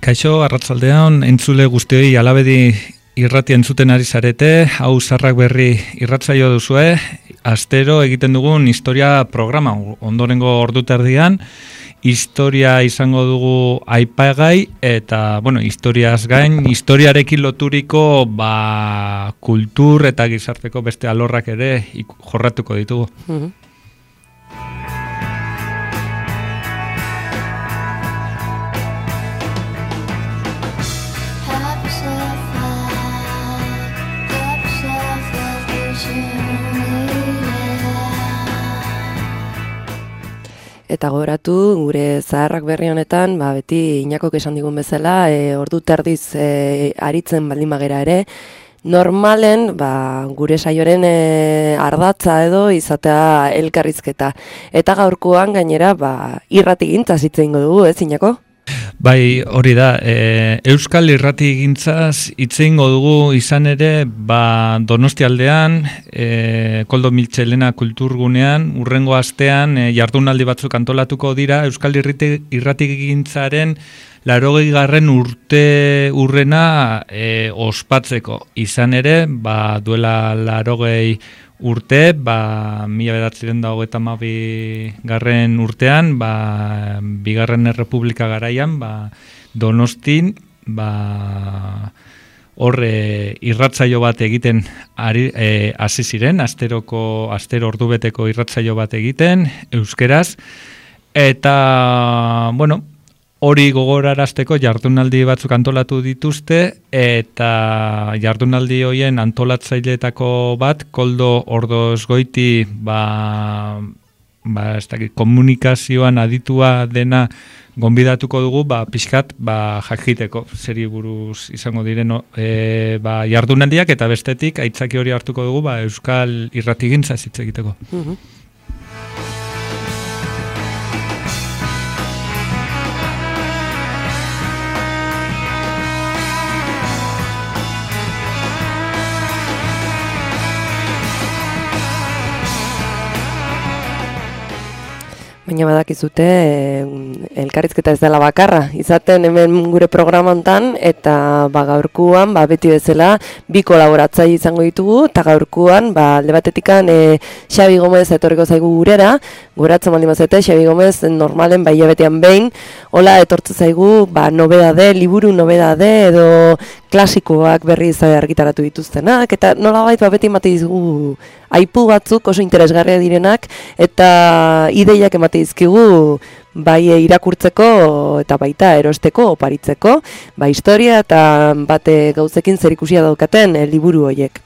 Kaixo, arratsaldean, entzule guztioi Alabedi irratia entzuten ari zarete, hau Zarrak Berri irratsaio duzue, astero egiten dugun historia programa, ondorengo orduterdian, historia izango dugu aipagai, eta, historiaz gain, historiarekin loturiko, kultur eta gizarteko beste alorrak ere jorratuko ditugu. Eta gogoratu, gure Zaharrak Berri honetan, beti Inakok esan digun bezala, ordu terdiz aritzen baldin bagera ere, normalen gure saioren ardatza edo izatea elkarrizketa. Eta gaurkoan gainera irratigintza hitz egingo dugu, ez Inako? Bai, hori da, Euskal Irratigintzaz hitz egingo dugu izan ere, Donostialdean, Koldo Mitxelena kulturgunean, urrengo astean jardunaldi batzuk antolatuko dira Euskal Irratigintzaren 80. urrena ospatzeko. Izan ere, duela 80 urte, 1922 garren urtean, Bigarren Errepublika garaian, Donostin, horre irratsaio bat egiten hasi ziren, astero ordubeteko irratsaio bat egiten, euskeraz, eta, hori gogorarazteko jardunaldi batzuk antolatu dituzte, eta jardunaldi horien antolatzaileetako bat, Koldo Ordozgoiti, komunikazioan aditua dena gonbidatuko dugu, pixkat, jakiteko, zeri buruz izango diren jardunaldiak, eta bestetik, aitzaki hori hartuko dugu, Euskal Irratigintza hitz egiteko. Baina badakizute, elkarrizketa ez dela bakarra, izaten hemen gure programa hontan, eta gaurkuan, beti bezala, bi kolaboratzaile izango ditugu, eta gaurkuan, alde batetikan, Xabi Gomez etorriko zaigu gurera, goratzen baldin bazete, Xabi Gomez normalen hilabetean behin, hola etortze zaigu, nobedade, liburu nobedade, edo klasikoak berriz argitaratu dituztenak, eta nolabait beti emate dizugu aipu batzuk oso interesgarria direnak, eta ideiak emate dizkigu bai irakurtzeko eta baita erosteko, oparitzeko, historia eta bate gauzekin zerikusia daukaten liburu horiek.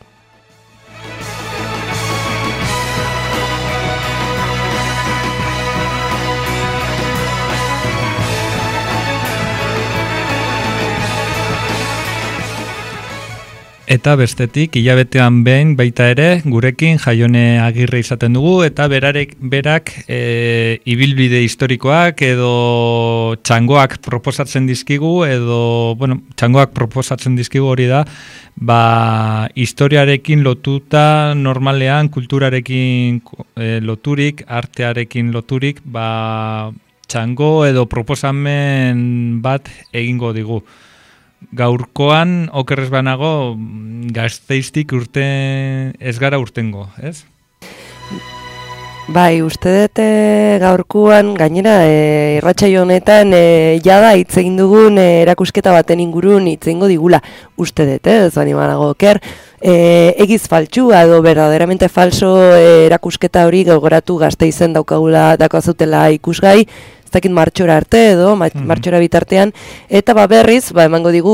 Eta bestetik, hilabetean behin baita ere, gurekin Jaione Agirre izaten dugu, eta berak ibilbide historikoak edo txangoak proposatzen dizkigu, txangoak proposatzen dizkigu hori da, historiarekin lotuta, normalean, kulturarekin loturik, artearekin loturik, txango edo proposamen bat egingo digu. Gaurkoan, okerrez banago, Gasteiztik ez gara urtengo, ez? Bai, uste dut gaurkoan, gainera, irratsaio honetan, jada hitz egin dugun erakusketa baten ingurun hitz egingo digula, uste dut, ez bani banago oker, egiz faltsua edo verdaderamente falso erakusketa hori gogoratu Gasteizen daukazutela ikusgai, ez dakit martxora arte edo, martxora bitartean, eta berriz, emango digu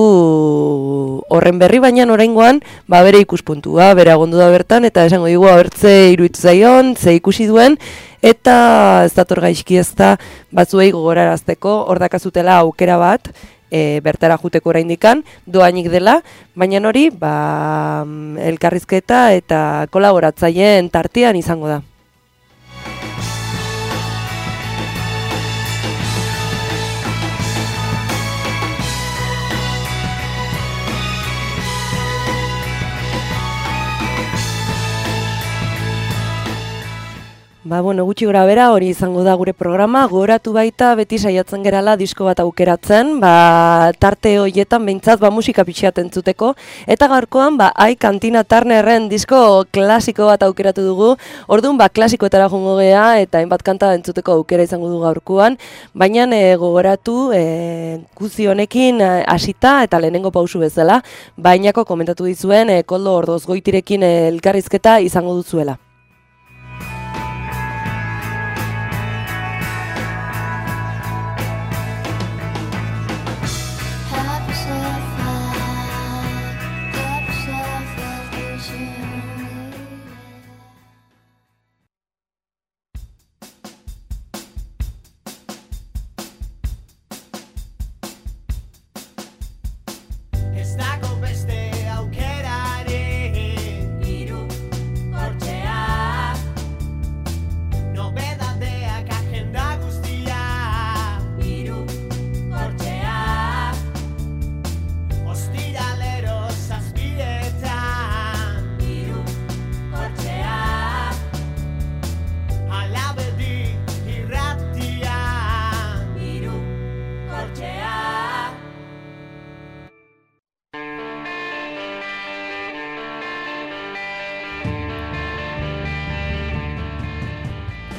horren berri, baina oraingoan, bere ikuspuntua, bere agondu da bertan, eta esango digu, abertze iruditu zaion, ze ikusi duen, eta ez dator gaizki ez da, batzuei gogorarazteko, hor dakazutela aukera bat, bertara juteko oraindikan, doainik dela, baina hori, elkarrizketa eta kolaboratzaileen tartean izango da. Bueno, gutxi gora bera hori izango da gure programa, gogoratu baita beti saiatzen gerala disko bat aukeratzen, tarte horietan behintzat musika pixeat entzuteko, eta gaurkoan Ai Kantina Turnerren disko klasiko bat aukeratu dugu, orduan klasikoetara jongo gea eta hainbat kanta entzuteko aukera izango du gaurkoan, baina gogoratu guzi honekin hasita eta lehenengo pausu bezala, bainako komentatu dizuen Koldo Ordozgoitirekin elkarrizketa izango duzuela.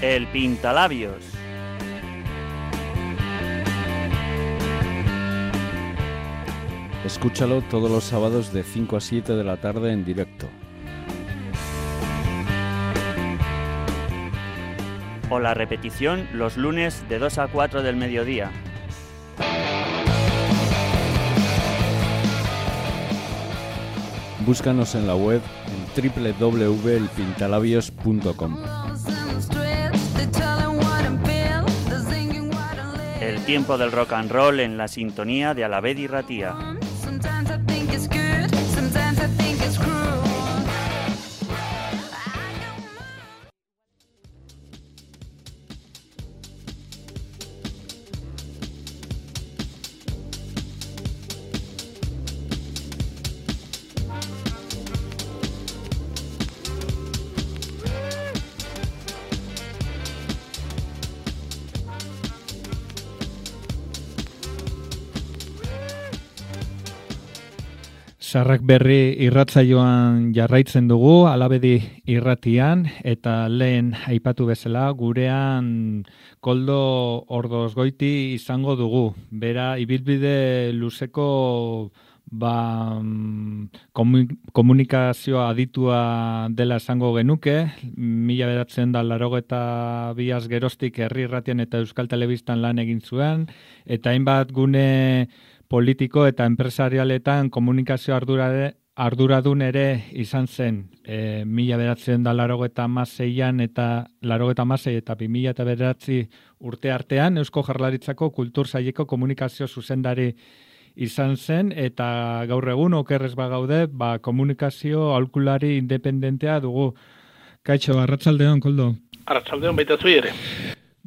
El Pintalabios. Escúchalo todos los sábados de 5 a 7 de la tarde en directo. O la repetición los lunes de 2 a 4 del mediodía. Búscanos en la web en www.elpintalabios.com. El tiempo del rock and roll en la sintonía de Alaved y Ratia. Sarrak berri irratsaioan jarraitzen dugu, Alabedi irratian, eta lehen aipatu bezala, gurean Koldo Ordozgoiti izango dugu. Bera, ibilbide luzeko komunikazioa aditua dela esango genuke, 1982 geroztik Herri Irratian eta Euskal Telebistan lan egin zuen, eta hainbat gune politiko eta enpresarialetan komunikazio arduradun ere izan zen 1986an eta 1986 eta 2009 urte artean Eusko Jaurlaritzako Kultur Saileko komunikazio zuzendari izan zen, eta gaur egun okerrez bagaude, komunikazio aholkulari independentea dugu. Kaixo, arratsaldeon, Koldo. Arratsaldeon baita zui ere.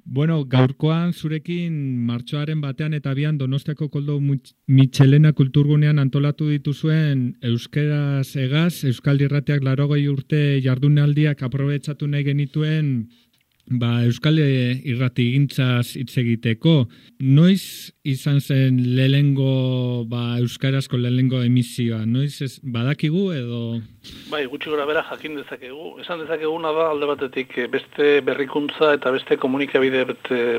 Bueno, gaurkoan zurekin martxoaren 1 eta 2 Donostiako Koldo Mitxelena kulturgunean antolatu dituzuen euskeraz egaz, Euskal Irratiak 80 urte jardunaldiak aprobetxatu nahi genituen Euskal Irratigintzaz hitz egiteko. Noiz izan zen lehenengo euskarazko lehenengo emisioa? Noiz badakigu edo? Bai, gutxi gora bera jakin dezakegu. Esan dezakeguna da alde batetik beste berrikuntza eta beste komunikabide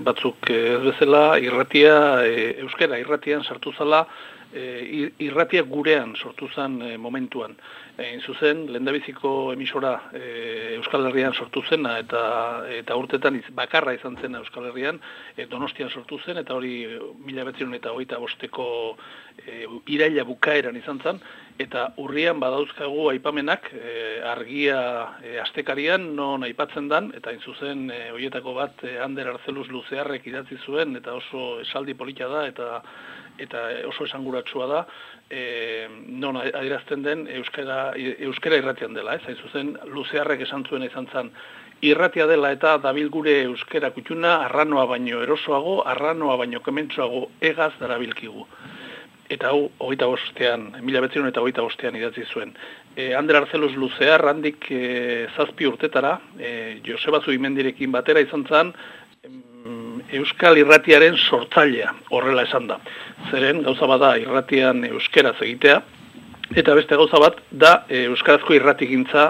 batzuk ez bezala irratia, euskara irratian sartu zala, irratia gurean sortu zen momentuan. Zuzen, lehendabiziko emisora Euskal Herrian sortu zena eta urtetan bakarra izan zen Euskal Herrian, Donostian sortu zen, eta hori 1925ko iraila bukaeran izan zen, eta urrian badauzkagu aipamenak argia astekarian non aipatzen dan, eta zuzen horietako bat Ander Arzeluz Luzearrek idatzi zuen, eta oso esaldi polita da, eta oso esanguratsua da, non adierazten den euskara irratian dela, hain zuzen Luzearrek esan zuen izan zen, irratia dela eta dabil gure euskara kutxuna arranoa baino erosoago, arranoa baino kementsuago egaz darabilkigu. Eta hau, 1925an idatzi zuen. Ander Arzeluz Luzear, handik 7 urtetara, Joseba Zubimendirekin batera izan zen, Euskal Irratiaren sortzailea, horrela esan da. Zeren, gauza bada irratian euskeraz egitea, eta beste gauza bat da euskarazko irratigintza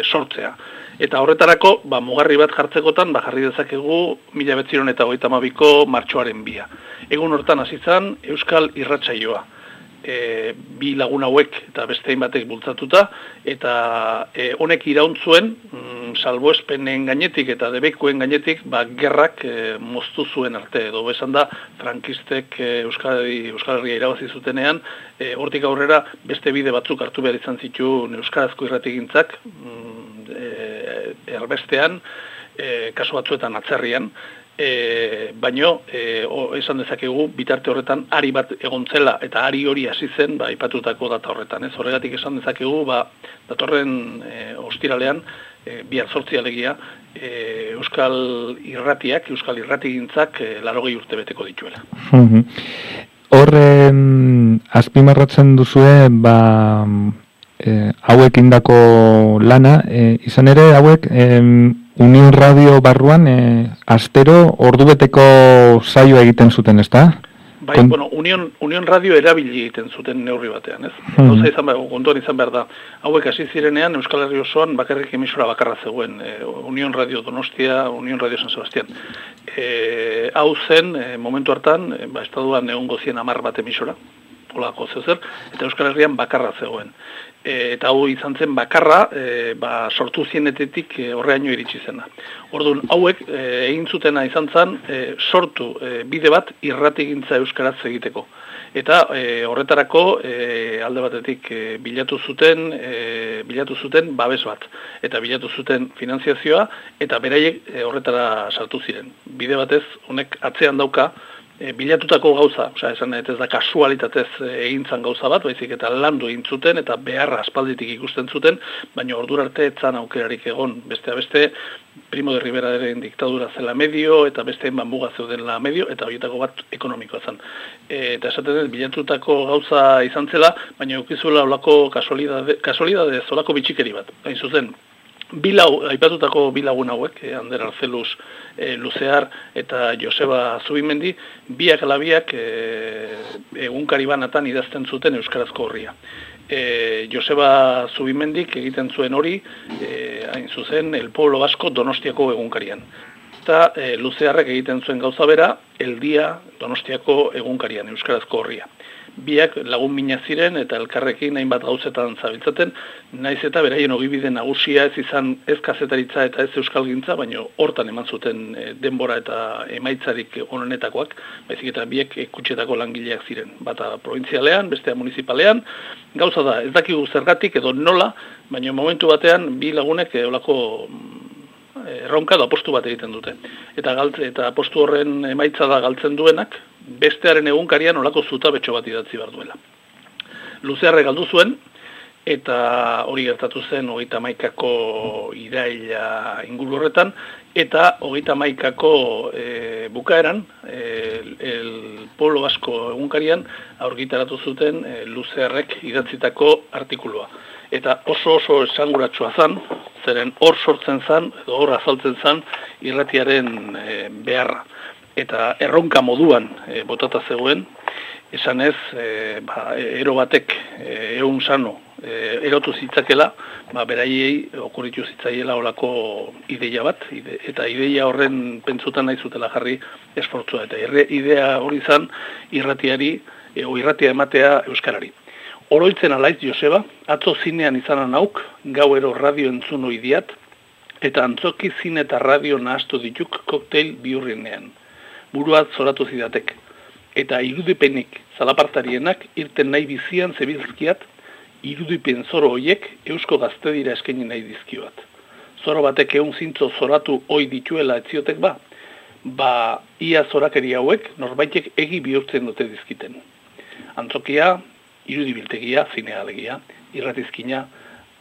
sortzea. Eta horretarako, mugarri bat jartzekotan, jarri dezakegu 1932ko martxoaren 2. Egun hortan hasi zen Euskal Irratsaioa. Bi lagun hauek eta beste batek bultzatuta, eta honek irauntzuen, salbuespenen gainetik eta debekuen gainetik, gerrak moztu zuen arte, edo esan da, frankistek Euskal Herria irabazi zutenean, hortik aurrera beste bide batzuk hartu behar izan zituen euskarazko irratigintzak, erbestean, kasu batzuetan atzerrian, baino, esan dezakegu, bitarte horretan ari bat egontzela, eta ari hori hasi zen, aipatutako data horretan. Horregatik esan dezakegu, datorren ostiralean, bihar 8 alegia, Euskal Irratiak, Euskal Irratigintzak 80 urte beteko dituela. Hor, azpimarratzen duzue, hauek indako lana, izan ere, hauek, Union Radio barruan, astero ordubeteko saioa egiten zuten, ezta? Union Radio erabili egiten zuten neurri batean, ez? Gauza izan behar, kontuan izan behar da. Hauek hasi zirenean, Euskal Herri osoan bakarrik emisora bakarra zegoen. Union Radio Donostia, Union Radio San Sebastián. Hau zen, momentu hartan, estatuan egongo zien 10 bat emisora, holako zezer, eta Euskal Herrian bakarra zegoen. Eta hau izan zen bakarra, sortu zienetetik horreaino iritsi zena. Orduan, hauek egin zutena izan zen, sortu bide bat irratigintza euskaraz egiteko. Eta horretarako alde batetik bilatu zuten babes bat. Eta bilatu zuten finanziazioa, eta beraiek horretara sartu ziren. Bide batez, honek atzean dauka, bilatutako gauza, esan ez da kasualitatez egintzan gauza bat, baizik eta landu egin zuten eta beharra aspalditik ikusten zuten, baina ordura arte etzan aukerarik egon. Beste Primo de Riveraren diktadura zela medio, eta beste muga zeudenla medio, eta horietako bat ekonomikoa zen. Eta esaten bilatutako gauza izan zela, baina eukizuela olako kasualidadez, olako bitxikeri bat. Hain zuzen, aipatutako bi lagun hauek, Ander Arzeluz Luzear eta Joseba Zubimendi, biak ala biak egunkari banatan idazten zuten euskarazko horria. Joseba Zubimendik egiten zuen hori, hain zuzen, El Pueblo Vasco Donostiako egunkarian. Eta Luzearrek egiten zuen gauza bera, El Dia Donostiako egunkarian, euskarazko horria. Biak lagun mina ziren eta elkarrekin hainbat gauzetan zabiltzaten, naiz eta beraien ogibide nagusia ez izan ez kazetaritza eta ez euskalgintza, baina hortan eman zuten denbora eta emaitzarik onenetakoak, baizik eta biek kutxetako langileak ziren. Bata provintzialean, bestea municipalean, gauza da, ez dakigu zergatik edo nola, baina momentu batean bi lagunek olako erronka da apostu bat egiten dute. Eta apostu horren emaitza da galtzen duenak, bestearen egunkarian olako zutabetxo bat idatzi behar duela. Luzearre galdu zuen, eta hori gertatu zen 31ko iraila inguru horretan, eta 31ko bukaeran, El Pueblo Vasco egunkarian aurgitaratu zuten Luzearrek idatzitako artikulua. Eta oso esanguratsua zan, zeren hor sortzen zan, edo hor azaltzen zan irratiaren beharra. Eta erronka moduan botata zegoen, esan ez, ero batek egun sano erotu zitzakela, beraiei okurritu zitzaiela olako ideia bat, eta ideia horren pentsutan nahi zutela jarri esfortzua. Eta idea hori zan irratia ematea euskarari. Oroitzen alaiz Joseba, atzo zinean izanan auk, gauero radio entzuno idiat, eta antzoki zine eta radio nahastu dituk kokteil bihurrinean. Buruat zoratu zidatek. Eta irudipenik zalapartarienak irten nahi bizian zebilzkiat, irudipen zoro hoiek eusko gaztedira eskaini nahi dizkioat. Zoro batek egun zintzo zoratu hoi dituela etziotek ia zorakeri hauek norbaitek egi bihurtzen dute dizkiten. Antzokia, irudibiltegia, zinea alegia, irratizkina,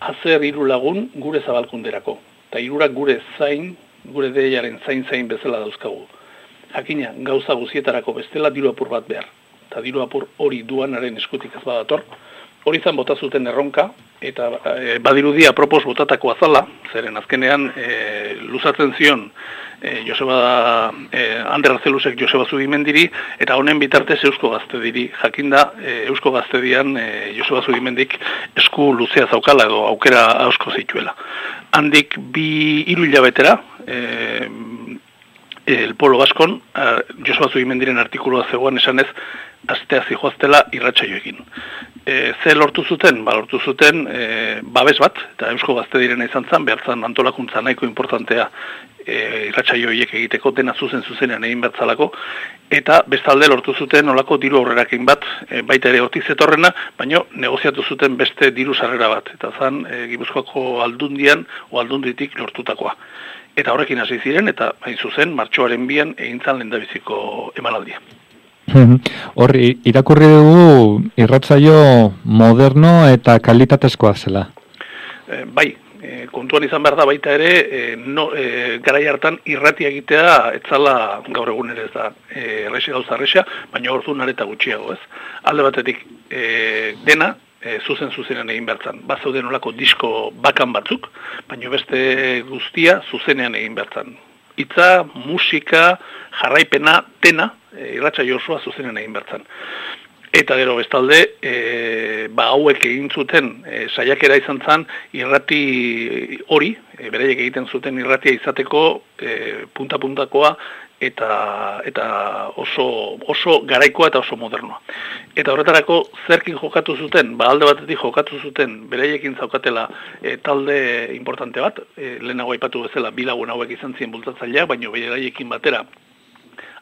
azer hiru lagun gure zabalkunderako. Eta hirurak gure deiaren zain bezala dauzkagu. Jakina, gauza guzietarako bestela diru apur bat behar. Eta diru apur hori duanaren eskutik ez badator, hori zan bota zuten erronka, eta badirudia apropos botatako azala, zeren azkenean luzatzen zion Ander Arzelusek Joseba Zubimendiri, eta honen bitartez Eusko Gaztediri, jakinda Eusko Gaztedian Joseba Zubimendik esku luzea zaukala edo aukera asko zituela. Handik 2 hilabetera, El Polo Baskon, Joseba Zubimendiren artikulua zegoen esanez, astea zijoaztela irratsaioekin. Ze lortu zuten? Lortu zuten babes bat, eta Eusko Gaztedirena izan zen, behartzan antolakuntza nahiko importantea irratsaioiek egiteko dena zuzenean egin bertzalako, eta bestalde lortu zuten olako diru aurrerakin bat, baita ere hortik zetorrena, baina negoziatu zuten beste diru sarrera bat, eta zan Gipuzkoako aldundian o aldunditik lortutakoa. Eta horrekin hasi ziren, eta hain zuzen, martxoaren 2an egin zan lehendabiziko emanaldia. Hor, irakurri dugu irratsaio moderno eta kalitatezkoa zela. Bai, kontuan izan behar da baita ere, garai hartan irratia egitea etzala gaur egun ere ez da gauza erresa, baina orduan areta gutxiago, ez? Alde batetik dena, zuzenean egin bertzan. Bazauden olako disko bakan batzuk, baina beste guztia zuzenean egin bertzan. Hitza, musika, jarraipena, dena, irratsaio osoa zuzenean egin bertzan. Eta gero bestalde, hauek egin zuten saiakera izan zen irrati hori, beraiek egiten zuten irratia izateko punta-puntakoa eta oso garaikoa eta oso modernoa. Eta horretarako zerkin jokatu zuten, alde batetik jokatu zuten beraiekin zaukatela talde importante bat, lehenago aipatu bezala 2 lagun hauek izan ziren bultzatzaileak, baina beraiekin batera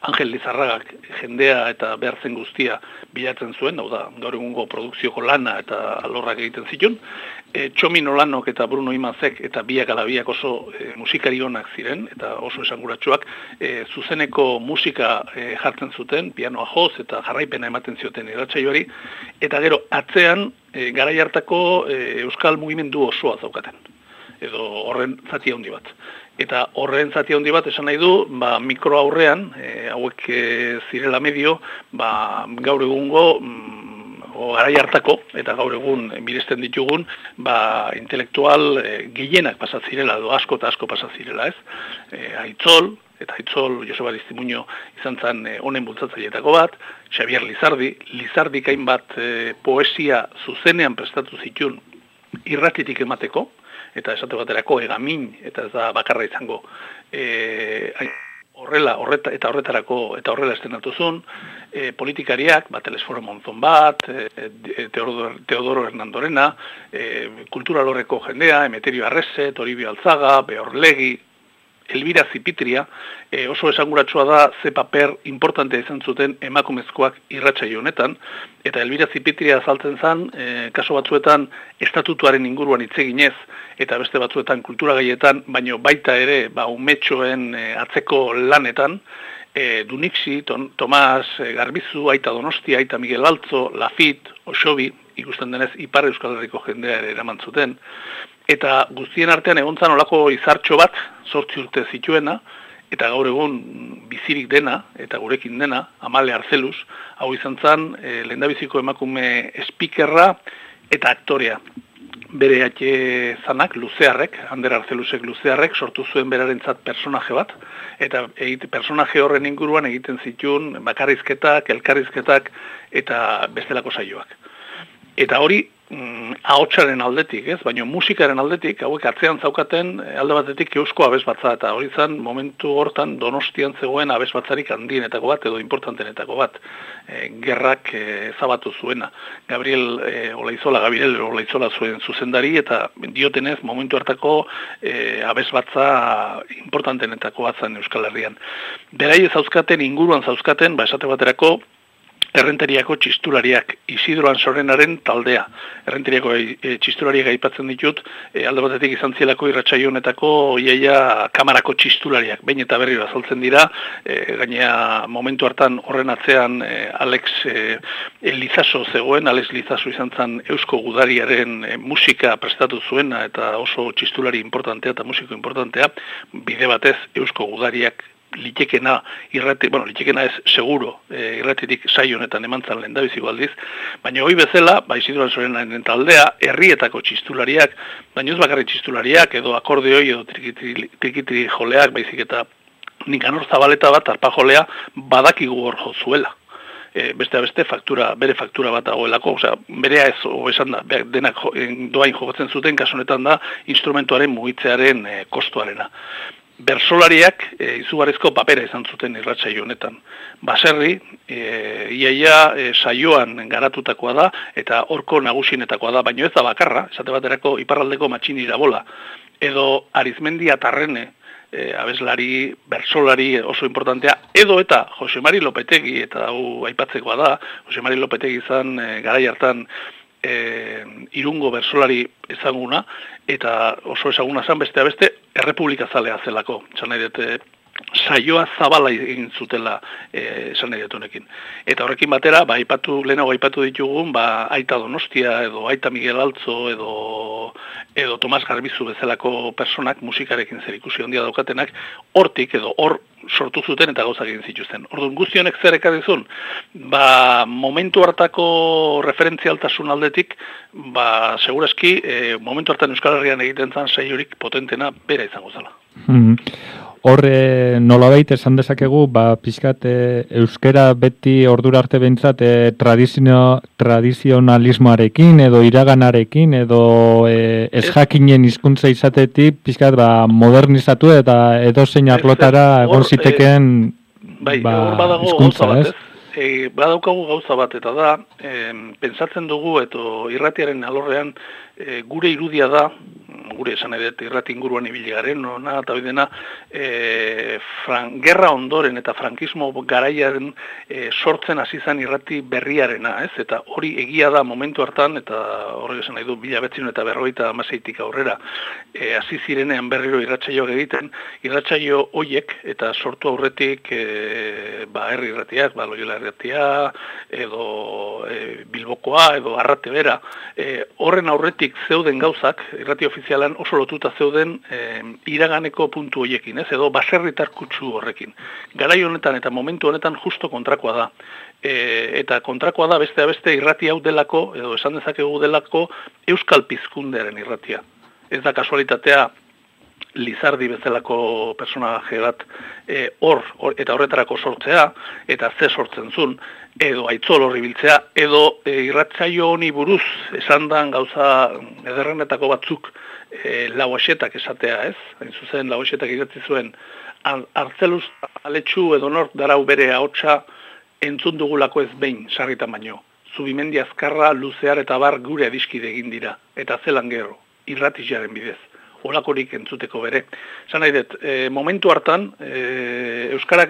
Angel Lizarragak jendea eta behartzen guztia bilatzen zuen, hau da, gaur egungo produkzioko lana eta alorrak egiten zituen. Txomin Olanok eta Bruno Imazek eta biak ala biak oso musikari onak ziren, eta oso esanguratsuak, zuzeneko musika jartzen zuten, pianoa joz eta jarraipena ematen zioten irratsaioari, eta gero atzean garai hartako euskal mugimendu osoa zaukaten, edo horren zati handi bat. Eta horren zati handi bat esan nahi du, mikro aurrean, hauek zirela medio, gaur egungo, garai hartako, eta gaur egun miresten ditugun, intelektual gehienak pasatzirela, edo asko eta asko pasatzirela, ez? Aitzol, eta Aitzol Joseba Aristimuño izan zen honen bultzatzaileetako bat, Xavier Lizardik hainbat poesia zuzenean prestatu zituen irratitik emateko, eta esate baterako egamin, eta ez da bakarra izango, horrela estenatu zuen, politikariak, Telesforo Monzon bat, Teodoro Hernandorena, kulturalorreko jendea, Emeterio Arrese, Toribio Alzaga, Beorlegi, Elbira Zipitria, oso esanguratsua da ze paper importantea izan zuten emakumezkoak irratsaio honetan, eta Elbira Zipitria azaltzen zen, kaso batzuetan estatutuaren inguruan hitz eginez, eta beste batzuetan kultura gaietan, baino baita ere, umetxoen atzeko lanetan, Dunixi, Tomas Garbizu, Aita Donostia, Aita Miguel Altzo, Lafit, Osobi, ikusten denez Ipar Euskal Herriko jendea ere eraman zuten, eta guztien artean egontzan olako izartxo bat, 8 urte zituena, eta gaur egun bizirik dena, eta gurekin dena, Amale Arzelus, hau izan zen, lehendabiziko emakume speakerra eta aktorea. Bere zanak, Luzearrek, Ander Arzelusek Luzearrek, sortu zuen berarentzat personaje bat, eta personaje horren inguruan egiten zituen bakarrizketak, elkarrizketak, eta bestelako saioak. Eta hori, ahotsaren aldetik, ez? Baina musikaren aldetik, hauek atzean zaukaten alde batetik eusko abesbatza, eta hori zen momentu hortan Donostian zegoen abesbatzarik handienetako bat, edo importantenetako bat, gerrak zabatu zuena. Gabriel Olaizola zuen zuzendari, eta diotenez momentu hartako abesbatza importantenetako bat zen Euskal Herrian. Beraiez zauzkaten, inguruan zauzkaten, esate baterako, Errenteriako txistulariak, Isidro Ansorenaren taldea. Errenteriako txistulariak aipatzen ditut, alde batetik izan zielako irratsaio honetako iaia kamarako txistulariak. Behin eta berriro azaltzen dira, gainea momentu hartan horren atzean Alex Lizaso zegoen, Alex Lizaso izan zen Eusko Gudariaren musika prestatu zuena, eta oso txistulari importantea eta musiko importantea, bide batez Eusko Gudariak litekena litekena ez seguro irratitik saio honetan emantzan lehendabiziko aldiz, baina hoi bezala, Isidro Alzorenaren taldea, herrietako txistulariak, baina ez bakarrik txistulariak, edo akordeoi, edo trikitri joleak, baizik eta Nikanor Zabaleta bat, arpa jolea, badakigu hor jozuela. Beste bere faktura bat dagoelako, berea ez, esan da, denak doain jokatzen zuten, kasu honetan da, instrumentuaren mugitzearen kostuarena. Bersolariak izugarrizko papera izan zuten irratsaio honetan. Baserri, iaia saioan garatutakoa da, eta horko nagusienetakoa da, baino ez da bakarra, esate baterako iparraldeko Matxini Irabola, edo Arizmendi Atarrene, abeslari, bersolari oso importantea, edo eta Jose Mari Lopetegi, eta hau aipatzekoa da, Jose Mari Lopetegi izan garai hartan Irungo bersolari ezaguna, eta oso ezaguna zan beste errepublika zalea zelako. Esan nahi dut, saioa zabala egin zutela esan nahi dut honekin. Eta horrekin batera, lehenago aipatu ditugun, Aita Donostia, edo Aita Miguel Altzo, edo Tomas Garbizu bezalako personak musikarekin zerikusi handia daukatenak, hortik edo hor sortu zuten eta gauzak egin zituzten. Orduan guztionek zer ekarrizun? Momentu hartako referentzialtasun aldetik, segurazki, momentu hartan Euskal Herrian egiten zan saiorik potentena bera izango zela. Hor, nolabait esan dezakegu, pixkat euskera beti ordura arte behintzat tradizionalismoarekin edo iraganarekin edo ezjakinen hizkuntza izatetik pixkat modernizatu eta edozein arlotara egon zitekeen hizkuntza, ez? Badaukagu gauza bat, eta da, pentsatzen dugu, eta irratiaren alorrean gure irudia da, gure esan edet irrati inguruan ibili garen, eta bidena, gerra ondoren eta frankismo garaiaren sortzen hasi zen irrati berriarena, ez? Eta hori egia da momentu hartan, eta horrek esan nahi du, 1956 aurrera, hasi zirenean berriro irratsaioak egiten, irratsaio hoiek, eta sortu aurretik herri irratiak, Loiola irratia, edo Bilbokoa, edo Arrate Bera, horren aurretik zeuden gauzak, irrati ofizialan oso lotuta zeuden iraganeko puntu hoiekin, ez? Edo baserritar kutsu horrekin. Garai honetan eta momentu honetan justo kontrakoa da. Eta kontrakoa da beste irrati hau delako, edo esan dezakegu delako, euskal pizkundearen irratia. Ez da kasualitatea Lizardi bezalako personaje bat eta horretarako sortzea, eta ze sortzen zuen, edo Aitzol horri biltzea, edo irratsaio honi buruz esan dan gauza ederrenetako batzuk Lauaxetak esatea, ez? Hain zuzen Lauaxetak idatzi zuen, Artzeluz aletxu edo nork darau bere ahotsa entzun dugulako ez behin, sarritan baino. Zubimendi Azkarra, Luzear eta Bar gure adiskide egin dira, eta zelan gero, irratixaren bidez. Olakorik entzuteko bere. Zan nahi dut, momentu hartan, euskarak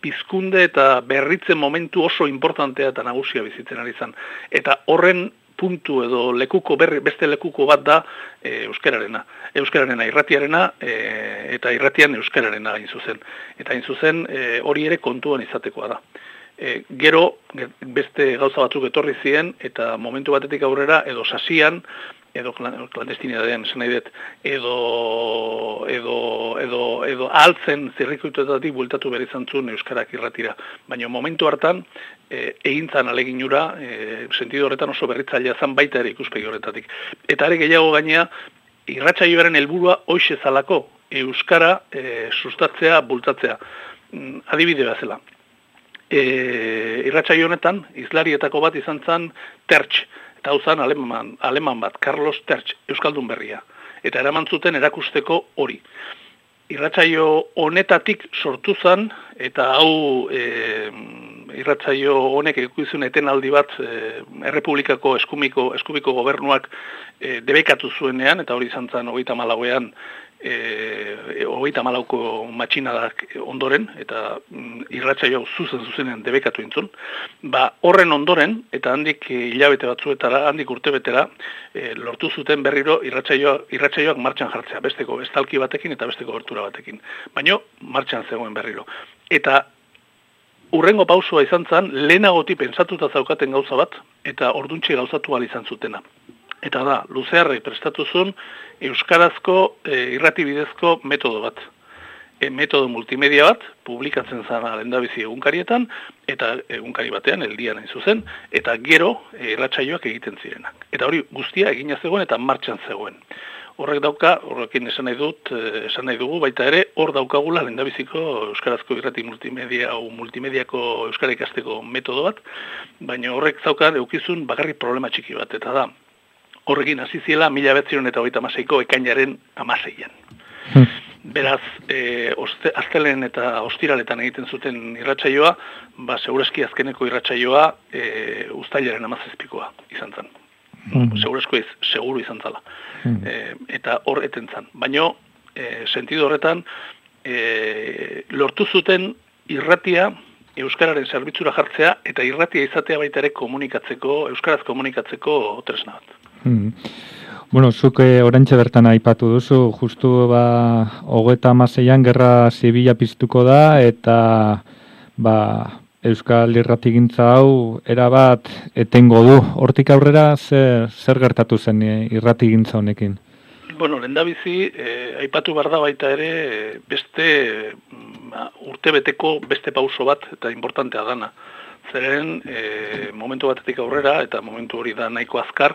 pizkunde eta berritzen momentu oso importantea eta nagusia bizitzen ari zan. Eta horren puntu edo beste lekuko bat da euskararena. Euskararena irratiarena eta irratian euskararena hain zuzen. Eta hain zuzen hori ere kontuan izatekoa da. Gero beste gauza batzuk etorri ziren eta momentu batetik aurrera edo sasian edo klandestinidadean esan nahi dut, edo ahaltzen zirrikuituetatik bueltatu behar izan zuen euskarak irratira. Baina momentu hartan, egintzan aleginura, sentido horretan oso berritzailea zan baita ere ikuspegi horretatik. Eta ere gehiago gainea, irratsaioaren helburua hoxe zalako, euskara sustatzea, bultatzea. Adibide bezala. Irratsaio honetan, hizlarietako bat izan zen Tertx, eta hau zen aleman bat, Carlos Tertx, Euskaldun berria. Eta eraman zuten erakusteko hori. Irratsaio honetatik sortu zen, eta hau irratsaio honek ikuizun etenaldi bat Errepublikako eskubiko gobernuak debekatu zuenean, eta hori izan zen 34ean 34ko matxinadak ondoren, eta irratsaio zuzenean debekatu intzun, horren ondoren, eta handik hilabete batzuetara, handik urtebetera, lortu zuten berriro irratsaioak martxan jartzea, besteko estalki batekin eta besteko gertura batekin. Baina martxan zegoen berriro. Eta urrengo pausua izan zen, lehenagoti pentsatuta zaukaten gauza bat, eta orduntxe gauzatu ahal izan zutena. Eta da, Luzearrek prestatu zuen euskarazko irratibidezko metodo bat. metodo multimedia bat, publikatzen zana lehendabizi egunkarietan, eta egunkari batean, eldian hain zuzen, eta gero irratsaioak egiten zirenak. Eta hori guztia egina zegoen eta martxan zegoen. Horrekin esan nahi dugu, baita ere, hor daukagula lehendabiziko euskarazko irrati multimediako euskara ikasteko metodo bat, baina horrek zaukan eukizun bakarrik problema txiki bat, eta da, horrekin hasi ziela 1936ko ekainaren 16an. Beraz, astelen eta ostiraletan egiten zuten irratsaioa, segurazki azkeneko irratsaioa uztailaren 17koa izan zen. Segurazko seguru izan zala. Eta hor eten zen. Baina, sentido horretan, lortu zuten irratia euskararen zerbitzura jartzea eta irratia izatea baita ere euskaraz komunikatzeko tresna bat. Bueno, zuk oraintxe bertan aipatu duzu, justu 36an gerra zibila piztuko da, eta euskal irratigintza hau erabat etengo du. Hortik aurrera zer gertatu zen irratigintza honekin? Bueno, lehendabizi, aipatu behar da baita ere beste urtebeteko beste pauso bat eta importantea dana. Zeren momentu batetik aurrera, eta momentu hori da nahiko azkar,